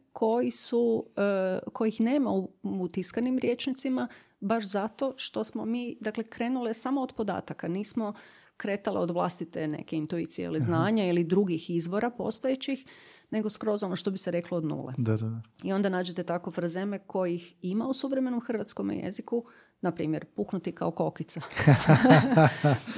kojih nema u tiskanim rječnicima, baš zato što smo mi, dakle, krenule samo od podataka. Nismo kretale od vlastite neke intuicije ili znanja ili drugih izvora postojećih, nego skroz ono što bi se reklo od nule. Da. I onda nađete tako frazeme kojih ima u suvremenom hrvatskom jeziku, na primjer, puknuti kao kokica.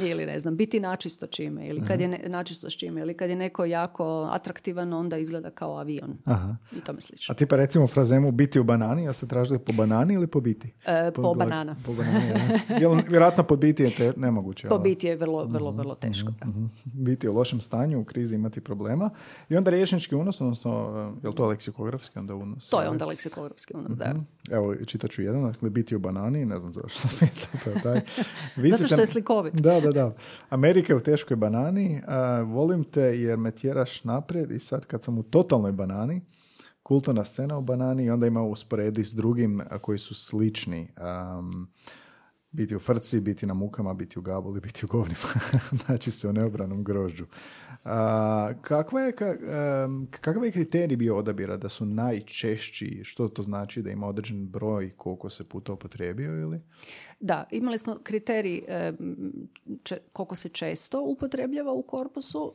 Ili, ne znam, biti načisto čime. Ili kad je načisto s čime. Ili kad je neko jako atraktivan, onda izgleda kao avion. Aha. I tome slično. A tipa recimo frazemu biti u banani, ja ste tražili po banani ili po biti? Po banana. Po banani, ja. Vjerojatno pod biti je nemoguće. Po biti je vrlo teško. Biti u lošem stanju, u krizi imati problema. I onda rječnički unos, odnosno, je li to leksikografski onda unos? To je onda leksikografski unos, da. Evo, čitat ću jedan, dakle, biti u banani, ne znam zašto sam mislio taj. Zato što je slikovit. Da. Amerika je u teškoj banani, volim te jer me tjeraš naprijed i sad kad sam u totalnoj banani, kulturna scena u banani i onda ima usporedi s drugim koji su slični. Biti u frci, biti na mukama, biti u gabuli, biti u govnima. Znači se u neobranom grožđu. Kakav je kriterij bio odabira da su najčešći? Što to znači da ima određen broj koliko se puta upotrijebio ili? Da, imali smo kriterij koliko se često upotrebljava u korpusu,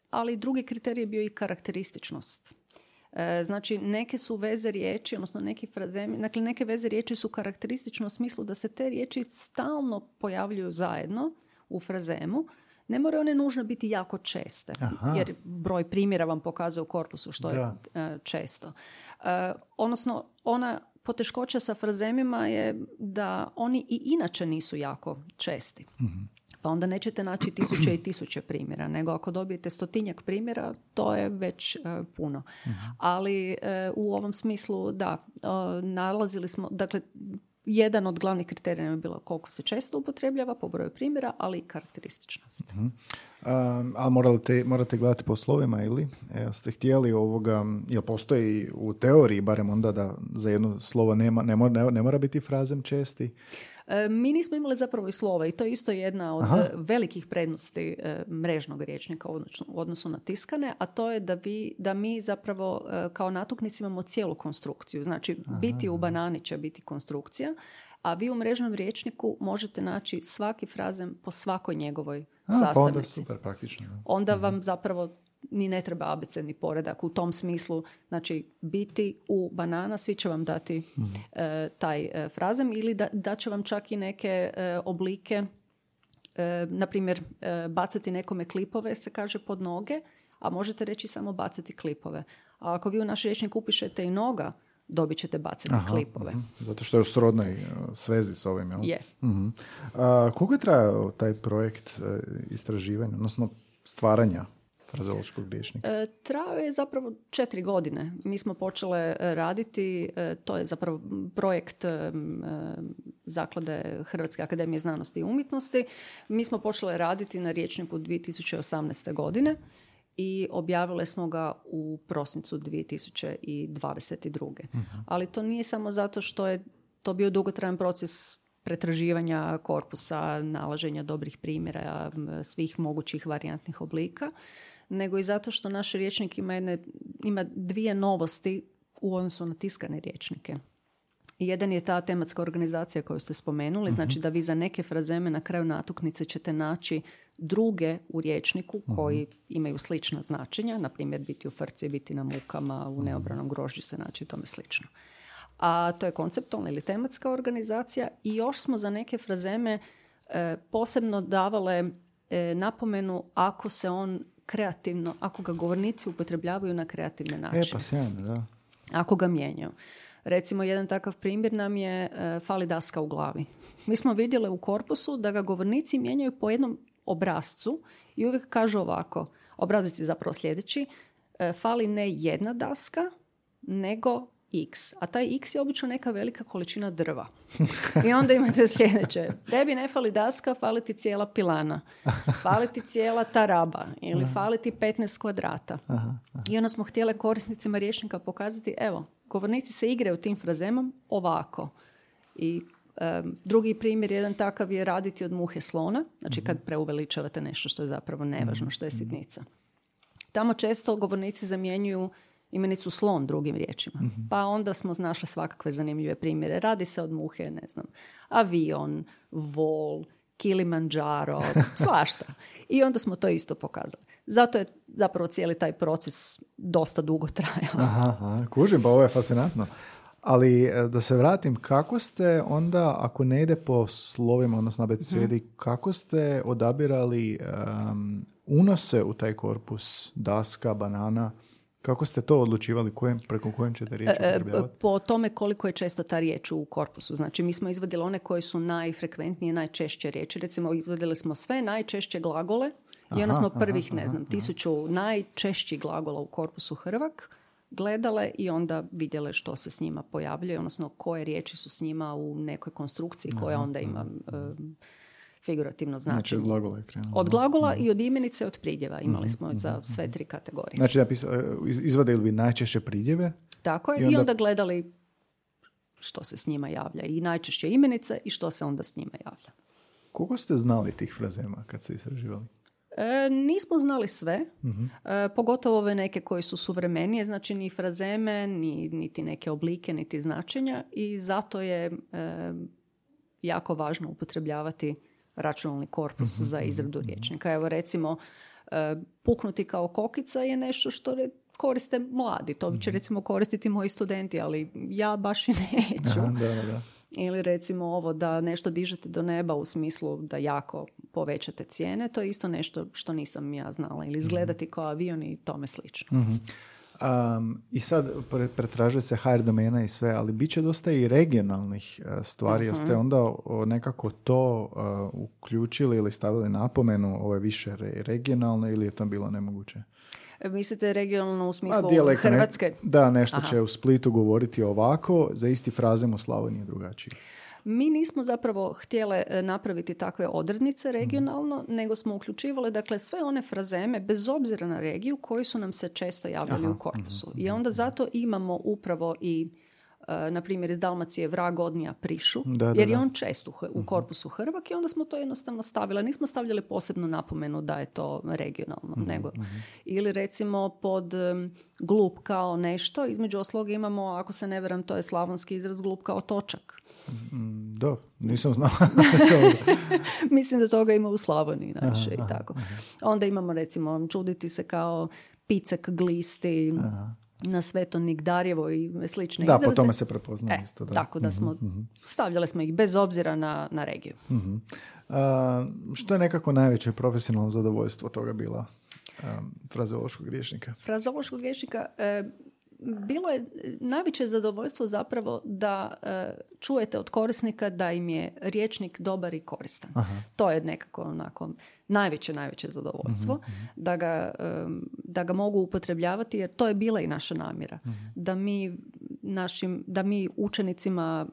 ali drugi kriterij je bio i karakterističnost. Znači, neke su veze riječi, odnosno neki frazemi, dakle, neke veze riječi su karakteristične u smislu da se te riječi stalno pojavljuju zajedno u frazemu. Ne moraju one nužno biti jako česte, jer broj primjera vam pokazuje u korpusu što je često. Odnosno, ona poteškoća sa frazemima je da oni i inače nisu jako česti. Pa onda nećete naći 1000 i 1000 primjera, nego ako dobijete 100-tinjak primjera, to je već puno. Ali u ovom smislu, da, nalazili smo, dakle, jedan od glavnih kriterija je bilo koliko se često upotrebljava po broju primjera, ali i karakterističnost. A morate gledati po slovima ili? Ste htjeli ovoga, jel postoji u teoriji, barem onda da za jedno slovo ne mora biti frazem česti? Mi nismo imali zapravo i slova i to je isto jedna od velikih prednosti mrežnog rječnika u odnosu na tiskane, a to je da mi zapravo kao natuknici imamo cijelu konstrukciju. Znači, biti u banani će biti konstrukcija, a vi u mrežnom rječniku možete naći svaki frazem po svakoj njegovoj sastavnici. Pa onda super praktično. Onda vam zapravo ni ne treba abecedni poredak u tom smislu. Znači, biti u banana, svi će vam dati taj frazem ili da će vam čak i neke oblike, na primjer, bacati nekome klipove, se kaže, pod noge, a možete reći samo bacati klipove. A ako vi u naš rječnik upišete i noga, dobit ćete bacati klipove. Zato što je u srodnoj svezi s ovim, jel? Je. Koliko je trajao taj projekt istraživanja, odnosno stvaranja frazeološkog rječnika? Trajao je zapravo 4 godine. Mi smo počele raditi, to je zapravo projekt Zaklade Hrvatske akademije znanosti i umjetnosti. Mi smo počele raditi na rječniku 2018. godine i objavile smo ga u prosincu 2022. Ali to nije samo zato što je to bio dugotrajan proces pretraživanja korpusa, nalaženja dobrih primjera, svih mogućih varijantnih oblika, nego i zato što naš rječnik ima dvije novosti u odnosu na tiskane rječnike. Jedan je ta tematska organizacija koju ste spomenuli, znači da vi za neke frazeme na kraju natuknice ćete naći druge u rječniku koji imaju slična značenja, na primjer biti u frci, biti na mukama, u neobranom grožđu se naći i tome slično. A to je konceptualna ili tematska organizacija i još smo za neke frazeme posebno davale napomenu ako se on kreativno, ako ga govornici upotrebljavaju na kreativne načine. Pa sjajno, da. Ako ga mijenjaju. Recimo, jedan takav primjer nam je fali daska u glavi. Mi smo vidjeli u korpusu da ga govornici mijenjaju po jednom obrascu i uvijek kažu ovako, obrazac je zapravo sljedeći, fali ne jedna daska, nego x. A taj x je obično neka velika količina drva. I onda imate sljedeće. Tebi ne fali daska, fali ti cijela pilana. Fali ti cijela taraba. Ili fali ti 15 kvadrata. I onda smo htjeli korisnicima rječnika pokazati, evo, govornici se igraju tim frazemom ovako. I Drugi primjer, jedan takav je raditi od muhe slona, znači kad preuveličavate nešto što je zapravo nevažno, što je sitnica. Tamo često govornici zamjenjuju imenicu slon drugim riječima. Pa onda smo našli svakakve zanimljive primjere. Radi se od muhe, ne znam, avion, vol, Kilimanjaro, svašta. I onda smo to isto pokazali. Zato je zapravo cijeli taj proces dosta dugo trajao. Aha, kužim, pa ovo je fascinantno. Ali da se vratim, kako ste onda, ako ne ide po slovima, odnosno abecedi, kako ste odabirali unose u taj korpus, daska, banana? Kako ste to odlučivali? Preko kojem ćete riječi upotrebljavati? Po tome koliko je često ta riječ u korpusu. Znači, mi smo izvadili one koje su najfrekventnije, najčešće riječi. Recimo, izvadili smo sve najčešće glagole i onda smo prvih, 1000 najčešćih glagola u korpusu Hrvak gledale i onda vidjele što se s njima pojavljuje, odnosno koje riječi su s njima u nekoj konstrukciji koja onda ima figurativno značenje. Znači od glagola i od imenice, od pridjeva. Imali smo za sve 3 kategorije. Znači izvadili bi najčešće pridjeve? Tako je, i onda gledali što se s njima javlja. I najčešće imenice i što se onda s njima javlja. Koliko ste znali tih frazema kad ste istraživali? Nismo znali sve, pogotovo ove neke koje su suvremenije, znači ni frazeme, niti neke oblike, niti značenja, i zato je jako važno upotrebljavati računalni korpus za izradu rječnika. Evo recimo, puknuti kao kokica je nešto što koriste mladi. To će recimo koristiti moji studenti, ali ja baš i neću. Da. Ili recimo ovo da nešto dižete do neba u smislu da jako povećate cijene. To je isto nešto što nisam ja znala. Ili izgledati kao avion i tome slično. I sad pretražuje se HR domena i sve, ali bit će dosta i regionalnih stvari. Jeste onda nekako to uključili ili stavili napomenu ove više regionalne, ili je to bilo nemoguće? Mislite regionalno u smislu Hrvatske? Nešto će u Splitu govoriti ovako, za isti frazem u Slavoniji drugačiji. Mi nismo zapravo htjele napraviti takve odrednice regionalno, nego smo uključivali dakle sve one frazeme, bez obzira na regiju, koji su nam se često javljali u korpusu. I onda zato imamo upravo i na primjer iz Dalmacije vrag odnija prišu, jer je on čest u korpusu Hrvak, i onda smo to jednostavno stavili. Nismo stavljali posebnu napomenu da je to regionalno, nego. Ili recimo pod glup kao nešto, između osloga imamo, ako se ne varam, to je slavonski izraz, glup kao točak. Da, nisam znao. Mislim da toga ima u Slavoniji najviše i tako. Onda imamo recimo čuditi se kao picek glisti, na Sveto Nigdarjevo i slične izraze. Da, po tome se prepoznaje isto. Da. Tako da smo, stavljali smo ih bez obzira na regiju. Što je nekako najveće profesionalno zadovoljstvo toga bila frazeološkog rječnika? Frazeološkog rječnika bilo je najveće zadovoljstvo zapravo da čujete od korisnika da im je rječnik dobar i koristan. To je nekako onako najveće zadovoljstvo da ga mogu upotrebljavati, jer to je bila i naša namjera. Da mi učenicima,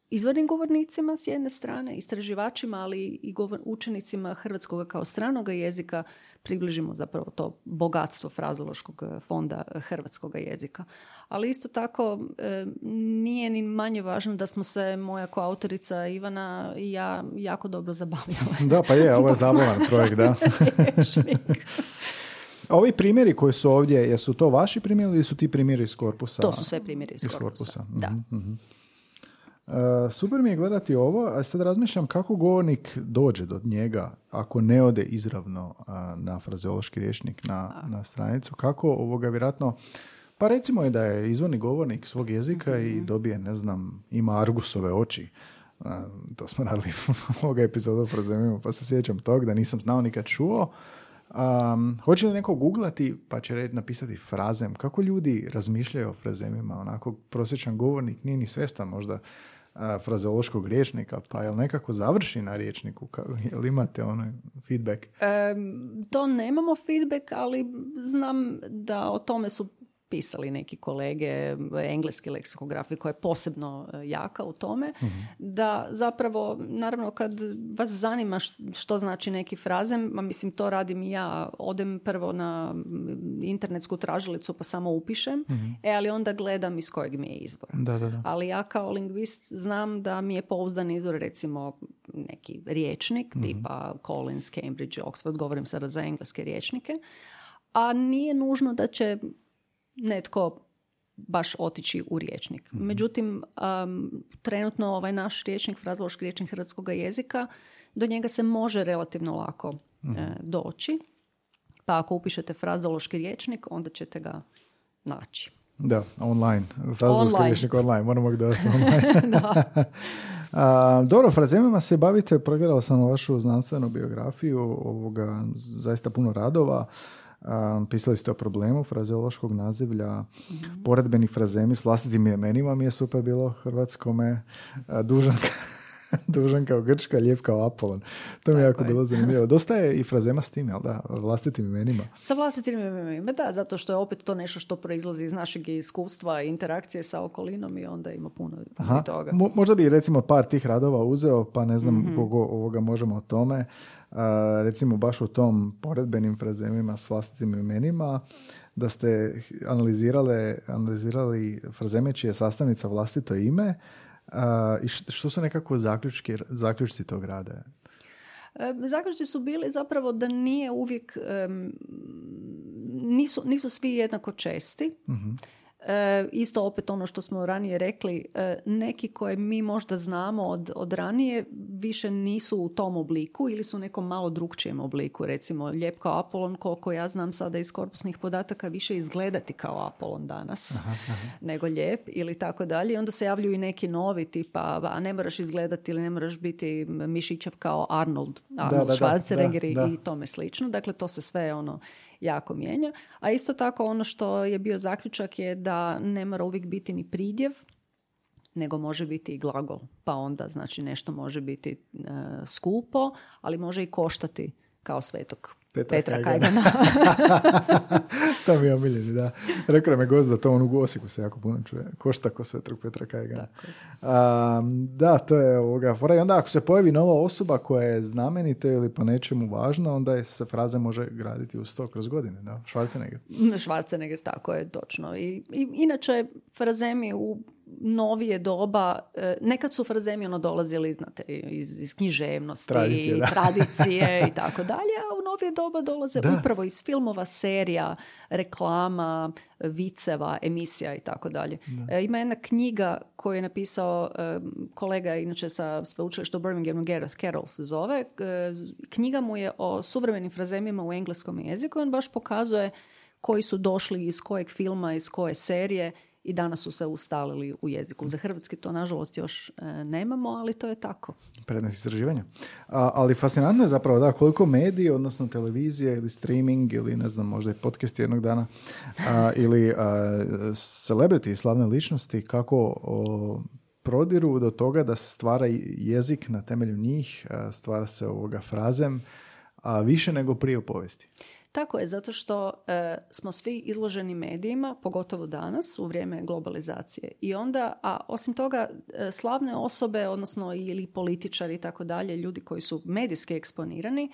izvornim govornicima s jedne strane, istraživačima, ali i učenicima hrvatskog kao stranog jezika približimo zapravo to bogatstvo frazeološkog fonda hrvatskog jezika. Ali isto tako nije ni manje važno da smo se moja koautorica Ivana i ja jako dobro zabavljale. Da, pa je, ovo je zabavan projekt, da. A ovi primjeri koji su ovdje, jesu to vaši primjeri ili su ti primjeri iz korpusa? To su sve primjeri iz korpusa. Da. Super mi je gledati ovo, a sad razmišljam kako govornik dođe do njega ako ne ode izravno na frazeološki rječnik na stranicu. Kako vjerojatno, pa recimo je da je izvorni govornik svog jezika i dobije, ne znam, ima argusove oči. To smo radili ovoga epizoda o frazemima, pa se sjećam tog da nisam znao nikad čuo. Hoće li neko googlati pa će napisati frazem? Kako ljudi razmišljaju o frazemima? Onako prosječan govornik nije ni svjestan možda frazeološkog rječnika, pa jel nekako završi na rječniku? Jel imate feedback? To nemamo feedback, ali znam da o tome su pisali neki kolege, engleski leksikografi koja je posebno jaka u tome, da zapravo, naravno kad vas zanima što znači neki frazem, mislim to radim i ja, odem prvo na internetsku tražilicu pa samo upišem, ali onda gledam iz kojeg mi je izvora. Da. Ali ja kao lingvist znam da mi je pouzdan izvor recimo neki riječnik tipa Collins, Cambridge, Oxford, govorim sada za engleske riječnike, a nije nužno da će netko baš otići u riječnik. Međutim, trenutno ovaj naš riječnik, frazeološki riječnik hrvatskog jezika, do njega se može relativno lako doći. Pa ako upišete frazeološki riječnik, onda ćete ga naći. Da, online. Frazeološki riječnik online, moramo ga dodati online. Dobro, frazemima se bavite, pregledao sam vašu znanstvenu biografiju, zaista puno radova. Pisali ste o problemu frazeološkog nazivlja, poredbeni frazemi s vlastitim imenima mi je super bilo hrvatskome, dužan kao Grčka, lijep kao Apolon. To mi je jako bilo zanimljivo. Dosta je i frazema s tim, jel da? Vlastitim imenima. Sa vlastitim imenima, da, zato što je opet to nešto što proizlazi iz našeg iskustva i interakcije sa okolinom i onda ima puno toga. Možda bi recimo par tih radova uzeo, pa ne znam koga možemo o tome. Recimo baš u tom poredbenim frazemima s vlastitim imenima, da ste analizirali frazeme čije je sastavnica vlastito ime. I što su nekako zaključci tog rada? Zaključci su bili zapravo da nije uvijek, nisu svi jednako česti. Isto opet ono što smo ranije rekli, neki koje mi možda znamo od ranije više nisu u tom obliku ili su u nekom malo drugčijem obliku. Recimo, lijep kao Apolon, koliko ja znam sada iz korpusnih podataka, više izgledati kao Apolon danas nego lijep ili tako dalje. I onda se javljaju i neki novi tipa, a ne moraš izgledati ili ne moraš biti mišićev kao Arnold Schwarzenegger i tome slično. Dakle, to se sve jako mijenja. A isto tako ono što je bio zaključak je da ne mora uvijek biti ni pridjev, nego može biti i glagol. Pa onda znači nešto može biti skupo, ali može i koštati kao svetog Petra Kajgana. To mi je omiljeni, da. Rekao me gost da to u Osijeku se jako puno čuje. Košta ko svetog Petra Kajgana. Da, to je fora. I onda ako se pojavi nova osoba koja je znamenita ili po nečemu važna, onda se fraza može graditi uz to kroz godine. Da? Schwarzenegger, tako je, točno. I inače, frazemi u novije doba, nekad su frazemi dolazili, znate, iz književnosti, tradicije i tako dalje, a u novije doba dolaze upravo iz filmova, serija, reklama, viceva, emisija i tako dalje. Ima jedna knjiga koju je napisao kolega, inače sa sveučilišta u Birminghamu, Gareth Carroll se zove. Knjiga mu je o suvremenim frazemima u engleskom jeziku. On baš pokazuje koji su došli iz kojeg filma, iz koje serije i danas su se ustalili u jeziku. Za hrvatski to, nažalost, još nemamo, ali to je tako. Predmet istraživanja. Ali fascinantno je zapravo da koliko mediji, odnosno televizije ili streaming ili ne znam, možda i podcast jednog dana ili celebrity, slavne ličnosti, kako prodiru do toga da se stvara jezik na temelju njih, stvara se frazem, a više nego prije u povijesti. Tako je, zato što smo svi izloženi medijima, pogotovo danas u vrijeme globalizacije. I onda, a osim toga, slavne osobe, odnosno ili političari i tako dalje, ljudi koji su medijski eksponirani,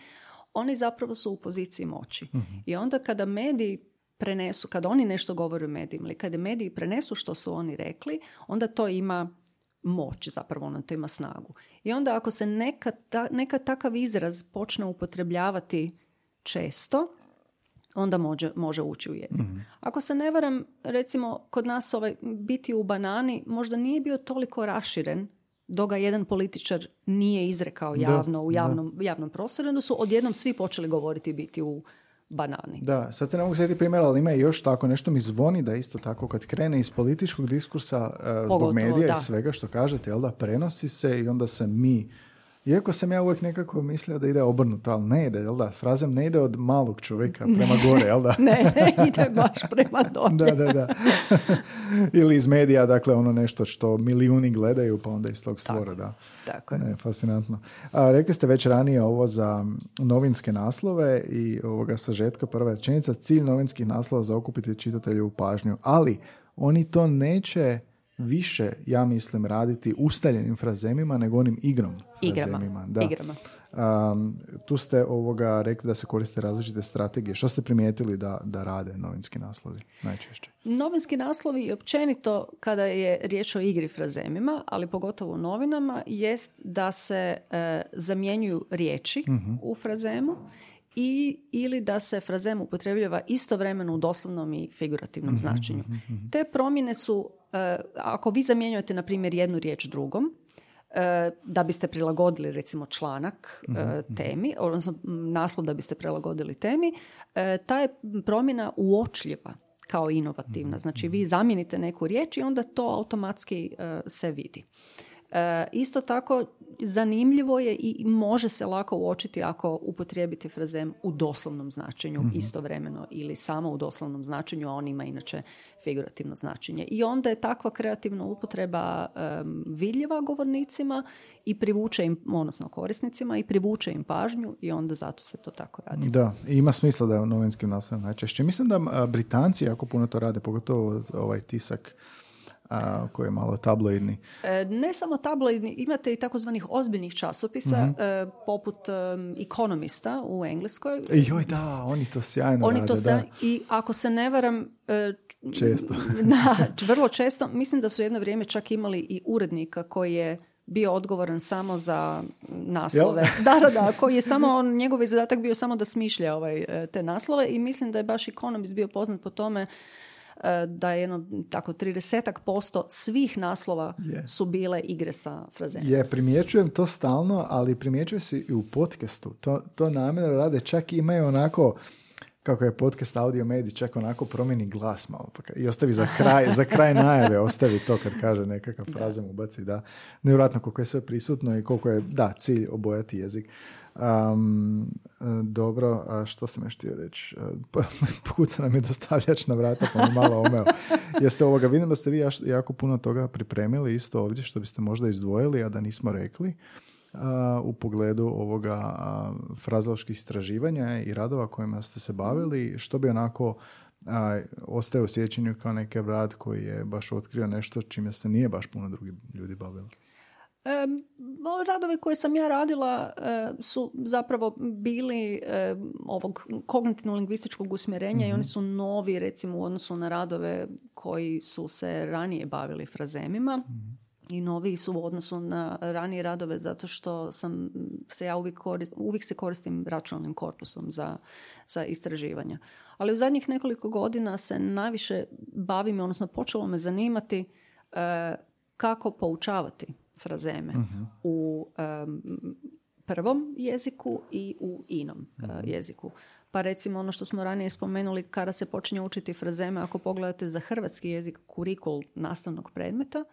oni zapravo su u poziciji moći. I onda kada mediji prenesu, kada oni nešto govore u medijima ili kada mediji prenesu što su oni rekli, onda to ima moć, zapravo ono to ima snagu. I onda ako se neka takav izraz počne upotrebljavati često, onda može ući u jezik. Ako se ne varam, recimo, kod nas biti u banani možda nije bio toliko raširen dok ga jedan političar nije izrekao javno u javnom prostoru, onda su odjednom svi počeli govoriti biti u banani. Da, sad se ne mogu sjetiti primjera, ali ima još tako, nešto mi zvoni da isto tako kad krene iz političkog diskursa zbog medija i svega što kažete, jel da, prenosi se i onda se mi Iako sam ja uvijek nekako mislio da ide obrnuto, ali ne ide, jel da? Frazem ne ide od malog čovjeka prema gore, jel da? ne, ide baš prema dolje. Da. Ili iz medija, dakle, ono nešto što milijuni gledaju, pa onda iz tog stvora, da. Tako je. Ne, fascinantno. Rekli ste već ranije ovo za novinske naslove i ovoga sažetka, prva rečenica, cilj novinskih naslova za okupiti čitatelju pažnju, ali oni to neće više, ja mislim, raditi ustaljenim frazemima nego onim frazemima. Igrama. Tu ste rekli da se koriste različite strategije. Što ste primijetili da rade novinski naslovi najčešće? Novinski naslovi općenito kada je riječ o igri frazemima, ali pogotovo u novinama, jest da se zamjenjuju riječi u frazemu ili da se frazem upotrebljava istovremeno u doslovnom i figurativnom značenju. Te promjene su, ako vi zamjenjujete, na primjer, jednu riječ drugom, da biste prilagodili, recimo, članak temi, odnosno naslov da biste prilagodili temi, ta je promjena uočljiva kao inovativna. Znači, vi zamijenite neku riječ i onda to automatski se vidi. Isto tako, zanimljivo je i može se lako uočiti ako upotrijebite frazem u doslovnom značenju istovremeno ili samo u doslovnom značenju, a on ima inače figurativno značenje. I onda je takva kreativna upotreba vidljiva govornicima i privuče im, odnosno korisnicima, i privuče im pažnju i onda zato se to tako radi. Da, i ima smisla da je u novinskim naslovima najčešće. Mislim da Britanci jako puno to rade, pogotovo ovaj tisak koji je malo tabloidni. Ne samo tabloidni, imate i takozvanih ozbiljnih časopisa, poput Economista u Engleskoj. Joj, da, oni to sjajno rade. I ako se ne varam, često. Vrlo često. Mislim da su jedno vrijeme čak imali i urednika koji je bio odgovoran samo za naslove. Da, koji je samo, njegov zadatak bio samo da smišlja te naslove i mislim da je baš Economist bio poznat po tome da je 30% svih naslova su bile igre sa frazemima. Primjećujem to stalno, ali primjećuje se i u podcastu. To namjerno rade, čak imaju onako, kako je podcast Audio Mediji, čak onako promijeni glas malo. I ostavi za kraj najave, ostavi to kad kaže nekakav frazem, ubaci, da. Nevjerojatno koliko je sve prisutno i koliko je, cilj obojati jezik. Dobro, a što sam još htio reći? Kuca nam je dostavljač na vrata, pa mi malo omeo. Vidim da ste vi jako puno toga pripremili isto ovdje, što biste možda izdvojili, a da nismo rekli, u pogledu ovoga frazoloških istraživanja i radova kojima ste se bavili, što bi onako ostaje u sjećanju kao neki rad koji je baš otkrio nešto čime se nije baš puno drugi ljudi bavili. Radovi koje sam ja radila su zapravo bili ovog kognitivno-lingvističkog usmjerenja i oni su novi, recimo, u odnosu na radove koji su se ranije bavili frazemima. I noviji su u odnosu na ranije radove zato što ja uvijek se koristim računalnim korpusom za istraživanja. Ali u zadnjih nekoliko godina se najviše bavim, odnosno počelo me zanimati kako poučavati frazeme u prvom jeziku i u inom jeziku. Pa recimo ono što smo ranije spomenuli, kada se počinje učiti frazeme, ako pogledate za hrvatski jezik kurikul nastavnog predmeta,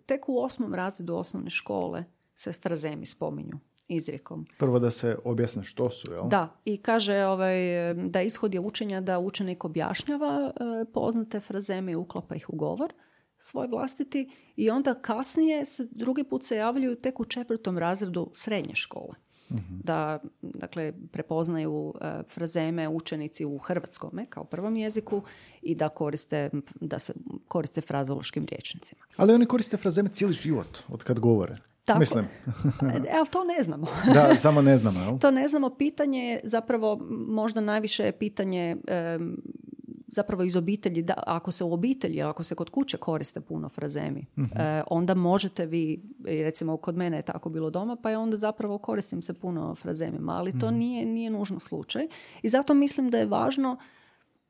tek u 8. razredu osnovne škole se frazemi spominju izrijekom. Prvo da se objasne što su, jel? Da, i kaže da ishod je učenja da učenik objašnjava poznate frazeme i uklapa ih u govor svoj vlastiti i onda kasnije drugi put se javljaju tek u 4. razredu srednje škole. Da, dakle, prepoznaju frazeme učenici u hrvatskome kao prvom jeziku i da se koriste frazološkim rječnicima. Ali oni koriste frazeme cijeli život od kad govore. Tako. Mislim. Ali to ne znamo. Da, samo ne znamo, jel? To ne znamo. Pitanje je zapravo, možda najviše je pitanje zapravo iz obitelji, da ako se u obitelji, ako se kod kuće koriste puno frazemi, onda možete vi, recimo kod mene je tako bilo doma, pa je onda zapravo koristim se puno frazemima, ali to nije nužno slučaj. I zato mislim da je važno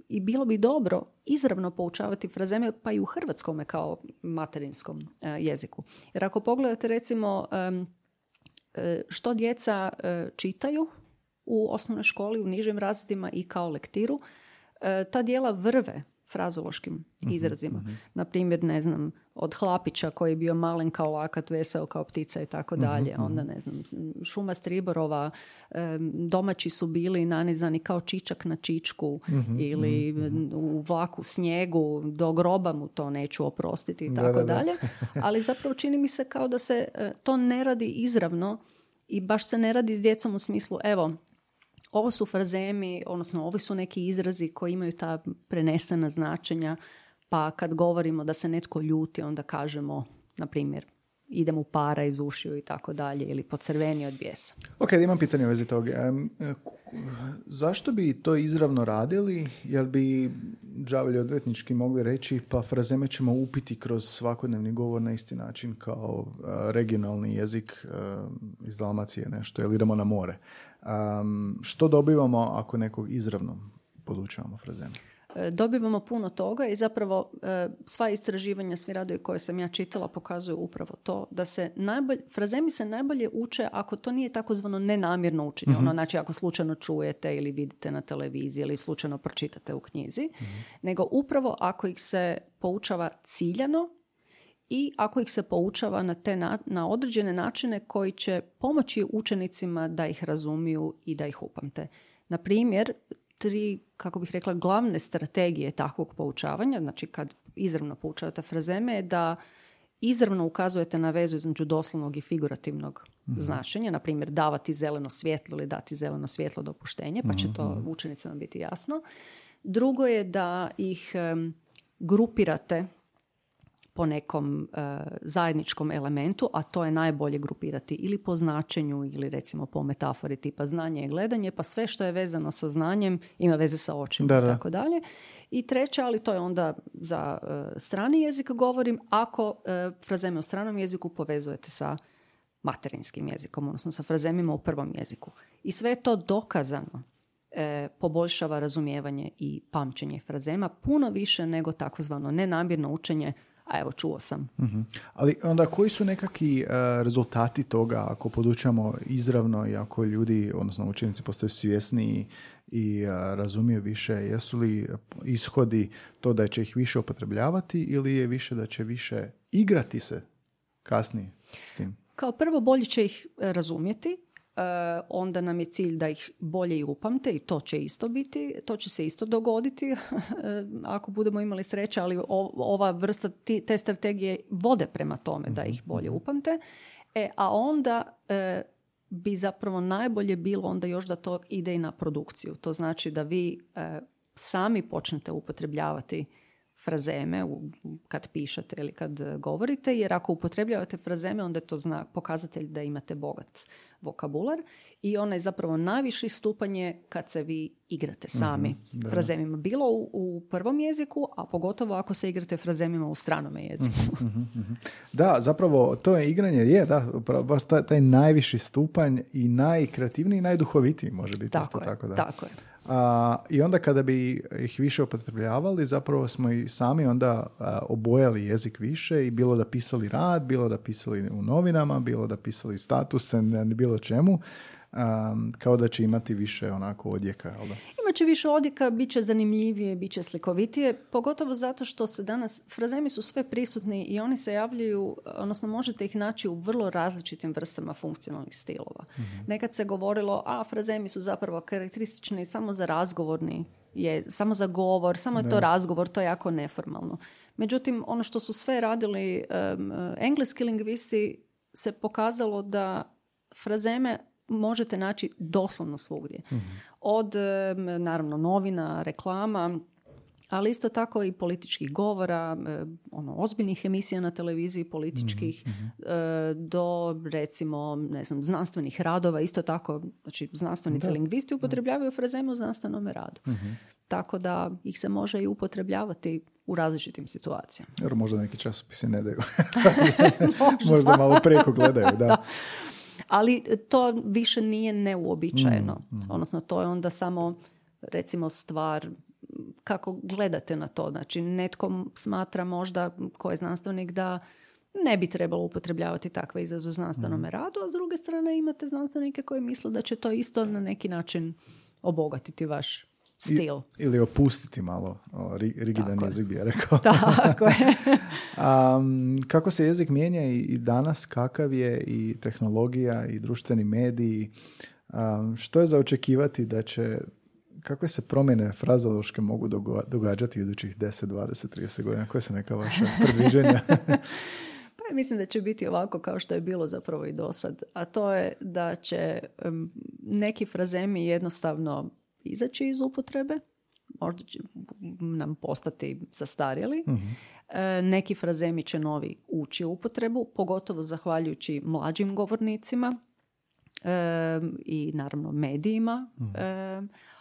i bilo bi dobro izravno poučavati frazeme, pa i u hrvatskome kao materinskom jeziku. Jer ako pogledate recimo što djeca čitaju u osnovnoj školi, u nižim razredima i kao lektiru, ta dijela vrve frazološkim izrazima. Na primjer, ne znam, od hlapića koji je bio malen kao lakat, veseo kao ptica i tako dalje. Onda, ne znam, šuma striborova, domaći su bili nanizani kao čičak na čičku ili u vlaku snijegu, do groba mu to neću oprostiti i tako dalje. Ali zapravo čini mi se kao da se to ne radi izravno i baš se ne radi s djecom u smislu, evo, ovo su frazemi, odnosno ovi su neki izrazi koji imaju ta prenesena značenja, pa kad govorimo da se netko ljuti, onda kažemo, na primjer, ide mu para iz ušiju i tako dalje, ili pocrveni od bijesa. Ok, imam pitanje u vezi toga. Zašto bi to izravno radili? Jer bi đavolji odvetnički mogli reći, pa frazeme ćemo upiti kroz svakodnevni govor na isti način kao regionalni jezik iz Dalmacije nešto, ili idemo na more. Što dobivamo ako nekog izravno podučavamo frazeme? Dobivamo puno toga i zapravo sva istraživanja, svi radovi koje sam ja čitala pokazuju upravo to da se frazemi se najbolje uče ako to nije takozvano nenamjerno učenje. Znači ako slučajno čujete ili vidite na televiziji ili slučajno pročitate u knjizi, nego upravo ako ih se poučava ciljano i ako ih se poučava na određene načine koji će pomoći učenicima da ih razumiju i da ih upamte. Na primjer, 3, kako bih rekla, glavne strategije takvog poučavanja, znači kad izravno poučavate frazeme, je da izravno ukazujete na vezu između doslovnog i figurativnog značenja, na primjer davati zeleno svjetlo ili dati zeleno svjetlo dopuštenje, pa će to učenicima biti jasno. Drugo je da ih grupirate po nekom zajedničkom elementu, a to je najbolje grupirati ili po značenju ili recimo po metafori tipa znanje i gledanje, pa sve što je vezano sa znanjem ima veze sa očima i tako dalje. I treće, ali to je onda za strani jezik govorim, ako frazeme u stranom jeziku povezujete sa materinskim jezikom, odnosno sa frazemima u prvom jeziku. I sve je to dokazano poboljšava razumijevanje i pamćenje frazema puno više nego takozvano nenamjerno učenje, a evo čuo sam. Ali onda koji su nekakvi rezultati toga ako podučamo izravno i ako ljudi, odnosno učenici postaju svjesniji i razumiju više, jesu li ishodi to da će ih više upotrebljavati ili je više da će više igrati se kasnije s tim? Kao prvo bolje će ih razumjeti, onda nam je cilj da ih bolje i upamte i to će isto biti, to će se isto dogoditi ako budemo imali sreće, ali ova vrsta te strategije vode prema tome da ih bolje upamte, a onda bi zapravo najbolje bilo onda još da to ide i na produkciju. To znači da vi sami počnete upotrebljavati frazeme kad pišete ili kad govorite, jer ako upotrebljavate frazeme, onda je to pokazatelj da imate bogat vokabular i onaj zapravo najviši stupanj je kad se vi igrate sami frazemima. Bilo u prvom jeziku, a pogotovo ako se igrate frazemima u stranome jeziku. Da, zapravo to je igranje, baš taj najviši stupanj i najkreativniji i najduhovitiji može biti. Tako je. I onda kada bi ih više upotrebljavali, zapravo smo i sami onda obojali jezik više i bilo da pisali rad, bilo da pisali u novinama, bilo da pisali statuse, bilo čemu, kao da će imati više onako odjeka. Imaće više odjeka, bit će zanimljivije, bit će slikovitije, pogotovo zato što se danas, frazemi su sve prisutni i oni se javljaju, odnosno možete ih naći u vrlo različitim vrstama funkcionalnih stilova. Nekad se govorilo, frazemi su zapravo karakteristični samo za razgovorni, samo za govor, samo je to razgovor, to je jako neformalno. Međutim, ono što su sve radili engleski lingvisti se pokazalo da frazeme možete naći doslovno svugdje. Od, naravno, novina, reklama, ali isto tako i političkih govora, ozbiljnih emisija na televiziji, političkih, do, recimo, ne znam, znanstvenih radova, isto tako, znači, znanstvenici lingvisti upotrebljavaju frazeme u znanstvenom radu. Tako da ih se može i upotrebljavati u različitim situacijama. Jer možda neki časopisi ne daju. Možda malo preko gledaju, da. Ali to više nije neuobičajeno. Odnosno, to je onda samo, recimo, stvar kako gledate na to. Znači, netko smatra možda, ko je znanstvenik, da ne bi trebalo upotrebljavati takve izraze u znanstvenom radu, a s druge strane imate znanstvenike koji misle da će to isto na neki način obogatiti vaš stil. Ili opustiti malo rigidan jezik, bi ja rekao. Tako je. Kako se jezik mijenja i danas, kakav je i tehnologija i društveni mediji, što je za očekivati da će, kakve se promjene frazološke mogu događati u idućih 10, 20, 30 godina? Koje su neka vaša predviđenja? Pa mislim da će biti ovako kao što je bilo zapravo i do sad. A to je da će neki frazemi jednostavno izaći iz upotrebe, možda će nam postati zastarjeli. Neki frazemi će novi ući u upotrebu, pogotovo zahvaljujući mlađim govornicima i naravno medijima.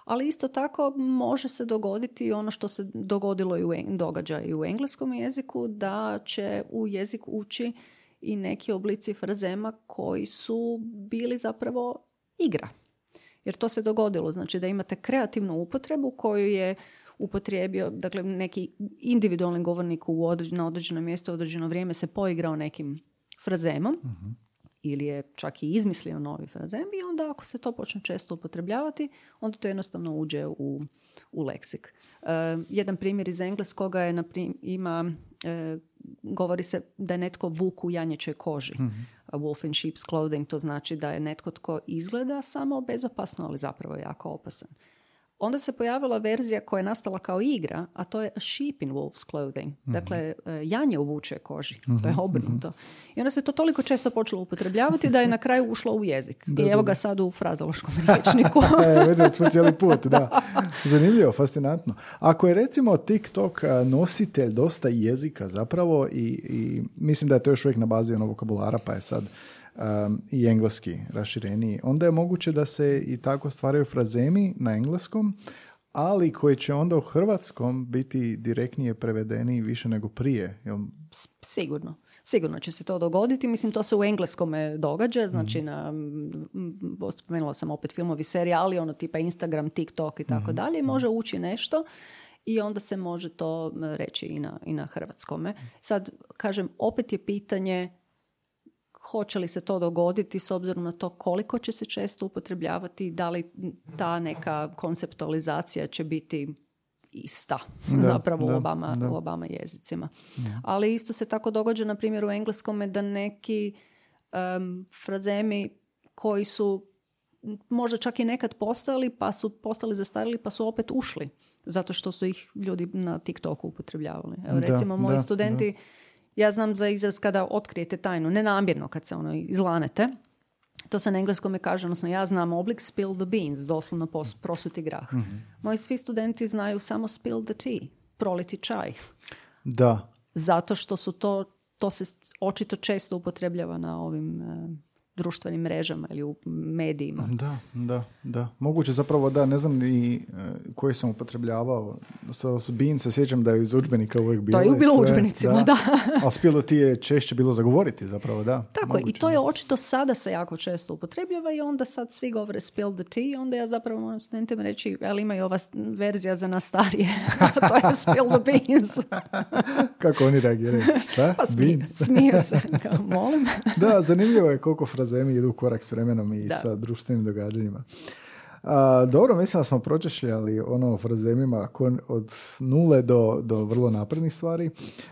Ali isto tako može se dogoditi ono što se dogodilo događa i u engleskom jeziku, da će u jezik ući i neki oblici frazema koji su bili zapravo igra. Jer to se dogodilo, znači da imate kreativnu upotrebu koju je upotrijebio, dakle neki individualni govornik na određeno mjesto, u određeno vrijeme se poigrao nekim frazemom, ili je čak i izmislio novi frazem, i onda ako se to počne često upotrebljavati, onda to jednostavno uđe u leksik. Jedan primjer iz engleskoga je, govori se da je netko vuk u janjećoj koži. A wolf in sheep's clothing, to znači da je netko tko izgleda samo bezopasno, ali zapravo je jako opasan. Onda se pojavila verzija koja je nastala kao igra, a to je a sheep in wolf's clothing. Dakle, janje u vučjoj koži. To je obrnuto. I onda se to toliko često počelo upotrebljavati da je na kraju ušlo u jezik. I evo ga sad u frazološkom rječniku. Vidjeli smo cijeli put, da. Zanimljivo, fascinantno. Ako je recimo TikTok nositelj dosta jezika zapravo i mislim da je to još uvijek na bazi onog vokabulara, pa je sad i engleski rašireniji, onda je moguće da se i tako stvaraju frazemi na engleskom, ali koji će onda u hrvatskom biti direktnije prevedeni više nego prije. Sigurno će se to dogoditi. Mislim, to se u engleskome događa, znači spomenula sam opet filmovi, serije, ali ono tipa Instagram, TikTok i tako dalje, može ući nešto i onda se može to reći i na hrvatskome. Sad, kažem, opet je pitanje hoće li se to dogoditi s obzirom na to koliko će se često upotrebljavati, da li ta neka konceptualizacija će biti ista zapravo u obama jezicima. Ali isto se tako događa, na primjer, u engleskome da neki frazemi koji su možda čak i nekad postojali, pa su postali zastarjeli, pa su opet ušli, zato što su ih ljudi na TikToku upotrebljavali. Evo, recimo, moji studenti, ja znam za izraz kada otkrijete tajnu, nenamjerno kad se izlanete, to se na engleskome kaže, odnosno ja znam oblik spill the beans, doslovno prosuti grah. Moji svi studenti znaju samo spill the tea, proliti čaj. Da. Zato što su to se očito često upotrebljava na ovim društvenim mrežama ili u medijima. Da. Moguće zapravo da, ne znam ni koji sam upotrebljavao. S bean se sjećam da je iz udžbenika uvijek bilo. To je bilo u udžbenicima, da. Ali spilo ti je češće bilo zagovoriti zapravo, da. Tako, moguće, i to je očito sada se jako često upotrebljava i onda sad svi govore spill the tea, onda ja zapravo moram studentima reći, ali ima i ova verzija za nas starije. To je spill the beans. Kako oni reagiraju? Šta? Pa smiju se. Kao, molim. Da, zanimljivo je koliko frazemi idu u korak s vremenom i sa društvenim događanjima. Dobro, mislim da smo pročešljali o frazemima od nule do vrlo naprednih stvari.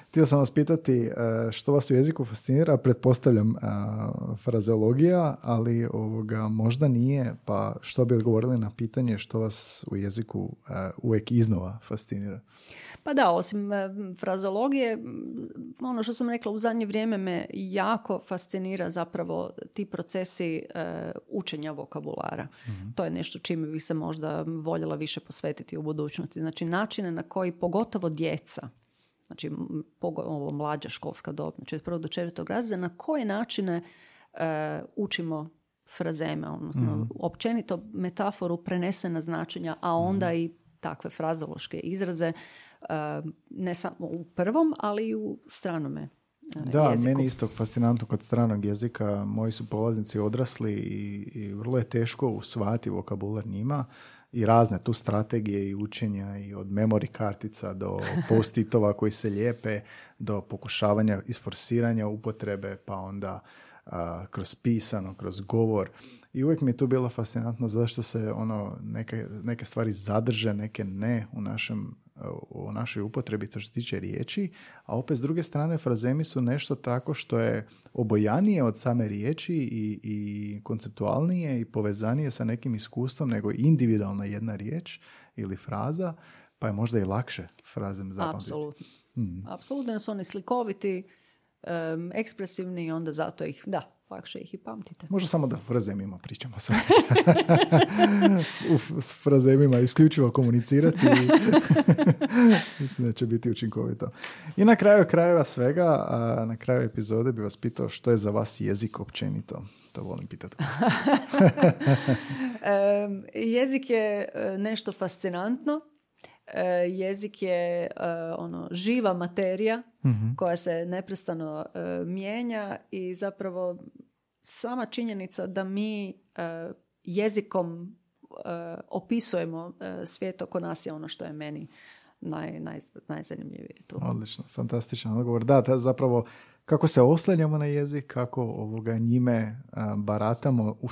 Htio sam vas pitati što vas u jeziku fascinira, pretpostavljam frazeologija, ali možda nije, pa što bi odgovorili na pitanje što vas u jeziku uvijek iznova fascinira? Pa da, osim frazeologije, ono što sam rekla, u zadnje vrijeme me jako fascinira zapravo ti procesi učenja vokabulara. To je nešto čime bi se možda voljela više posvetiti u budućnosti. Znači, načine na koji pogotovo djeca, znači ovo mlađa školska dob, znači od 1. do 4. razreda, na koje načine učimo frazeme, odnosno općenito metaforu, prenesena značenja, a onda i takve frazološke izraze, ne samo u prvom, ali i u stranome Da, jeziku. meni isto fascinantno kod stranog jezika. Moji su polaznici odrasli i vrlo je teško usvajati vokabular njima i razne tu strategije i učenja i od memory kartica do post-itova koji se lijepe, do pokušavanja isforsiranja upotrebe, pa onda kroz pisano, kroz govor. I uvijek mi je tu bilo fascinantno zašto se neke stvari zadrže, neke ne u našoj upotrebi to što se tiče riječi, a opet s druge strane frazemi su nešto tako što je obojanije od same riječi i konceptualnije i povezanije sa nekim iskustvom nego individualna jedna riječ ili fraza, pa je možda i lakše frazem zapamtiti. Apsolutno. Apsolutno su oni slikoviti, ekspresivni i onda zato lakše ih i pamtite. Možda samo da frazemima pričamo sve. S frazemima isključivo komunicirati i mislim da će biti učinkovito. I na kraju krajeva svega, na kraju epizode bi vas pitao što je za vas jezik općenito. To volim pitati. Jezik je nešto fascinantno. Jezik je živa materija koja se neprestano mijenja i zapravo sama činjenica da mi jezikom opisujemo svijet oko nas je ono što je meni najzanimljivije tu. Odlično, fantastičan odgovor. Da, zapravo kako se oslanjamo na jezik, kako njime baratamo u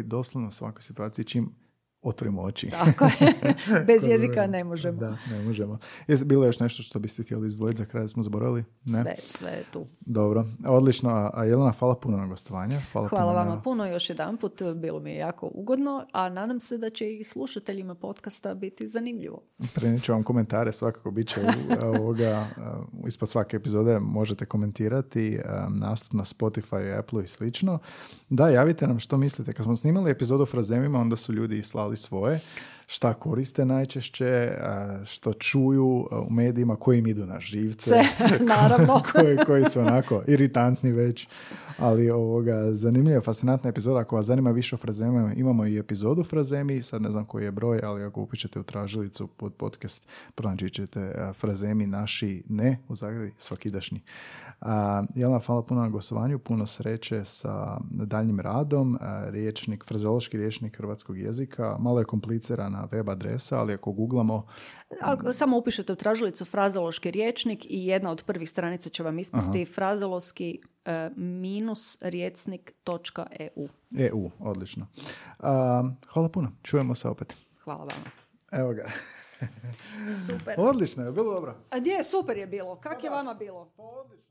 doslovno svakoj situaciji čim otvorimo oči. Tako je. Bez jezika ne možemo. Da, ne možemo. Je bilo još nešto što biste htjeli izdvojiti za kraj da smo zaboravili? Ne? Sve je tu. Dobro. Odlično. A Jelena, hvala puno na gostovanje. Hvala vama puno još jedanput. Bilo mi je jako ugodno, a nadam se da će i slušateljima podcasta biti zanimljivo. Prenijet ću vam komentare, svakako bit će ispod svake epizode možete komentirati nastup na Spotify, Apple i slično. Da, javite nam što mislite. Kad smo snimali epizodu o frazemima, onda su ljudi slali svoje, šta koriste najčešće, što čuju u medijima, koji im idu na živce, naravno. koji su onako iritantni već, ali zanimljiva, fascinantna epizoda. Ako vas zanima više o frazemima, imamo i epizodu frazemi, sad ne znam koji je broj, ali ako upišete u tražilicu pod podcast, pronaći ćete frazemi naši ne, u zagradi svakidašnji. Jelena, hvala puno na gostovanju, puno sreće sa daljnjim radom. Frazeološki rječnik hrvatskog jezika, malo je komplicirana web adresa, ali ako googlamo... Samo upišete u tražilicu frazeološki rječnik i jedna od prvih stranica će vam ispasti frazeološki -rječnik.eu. EU, odlično. Hvala puno, čujemo se opet. Hvala vama. Evo ga. Super. Odlično, je bilo dobro? A gdje, super je bilo. Kak je vama bilo? Odlično.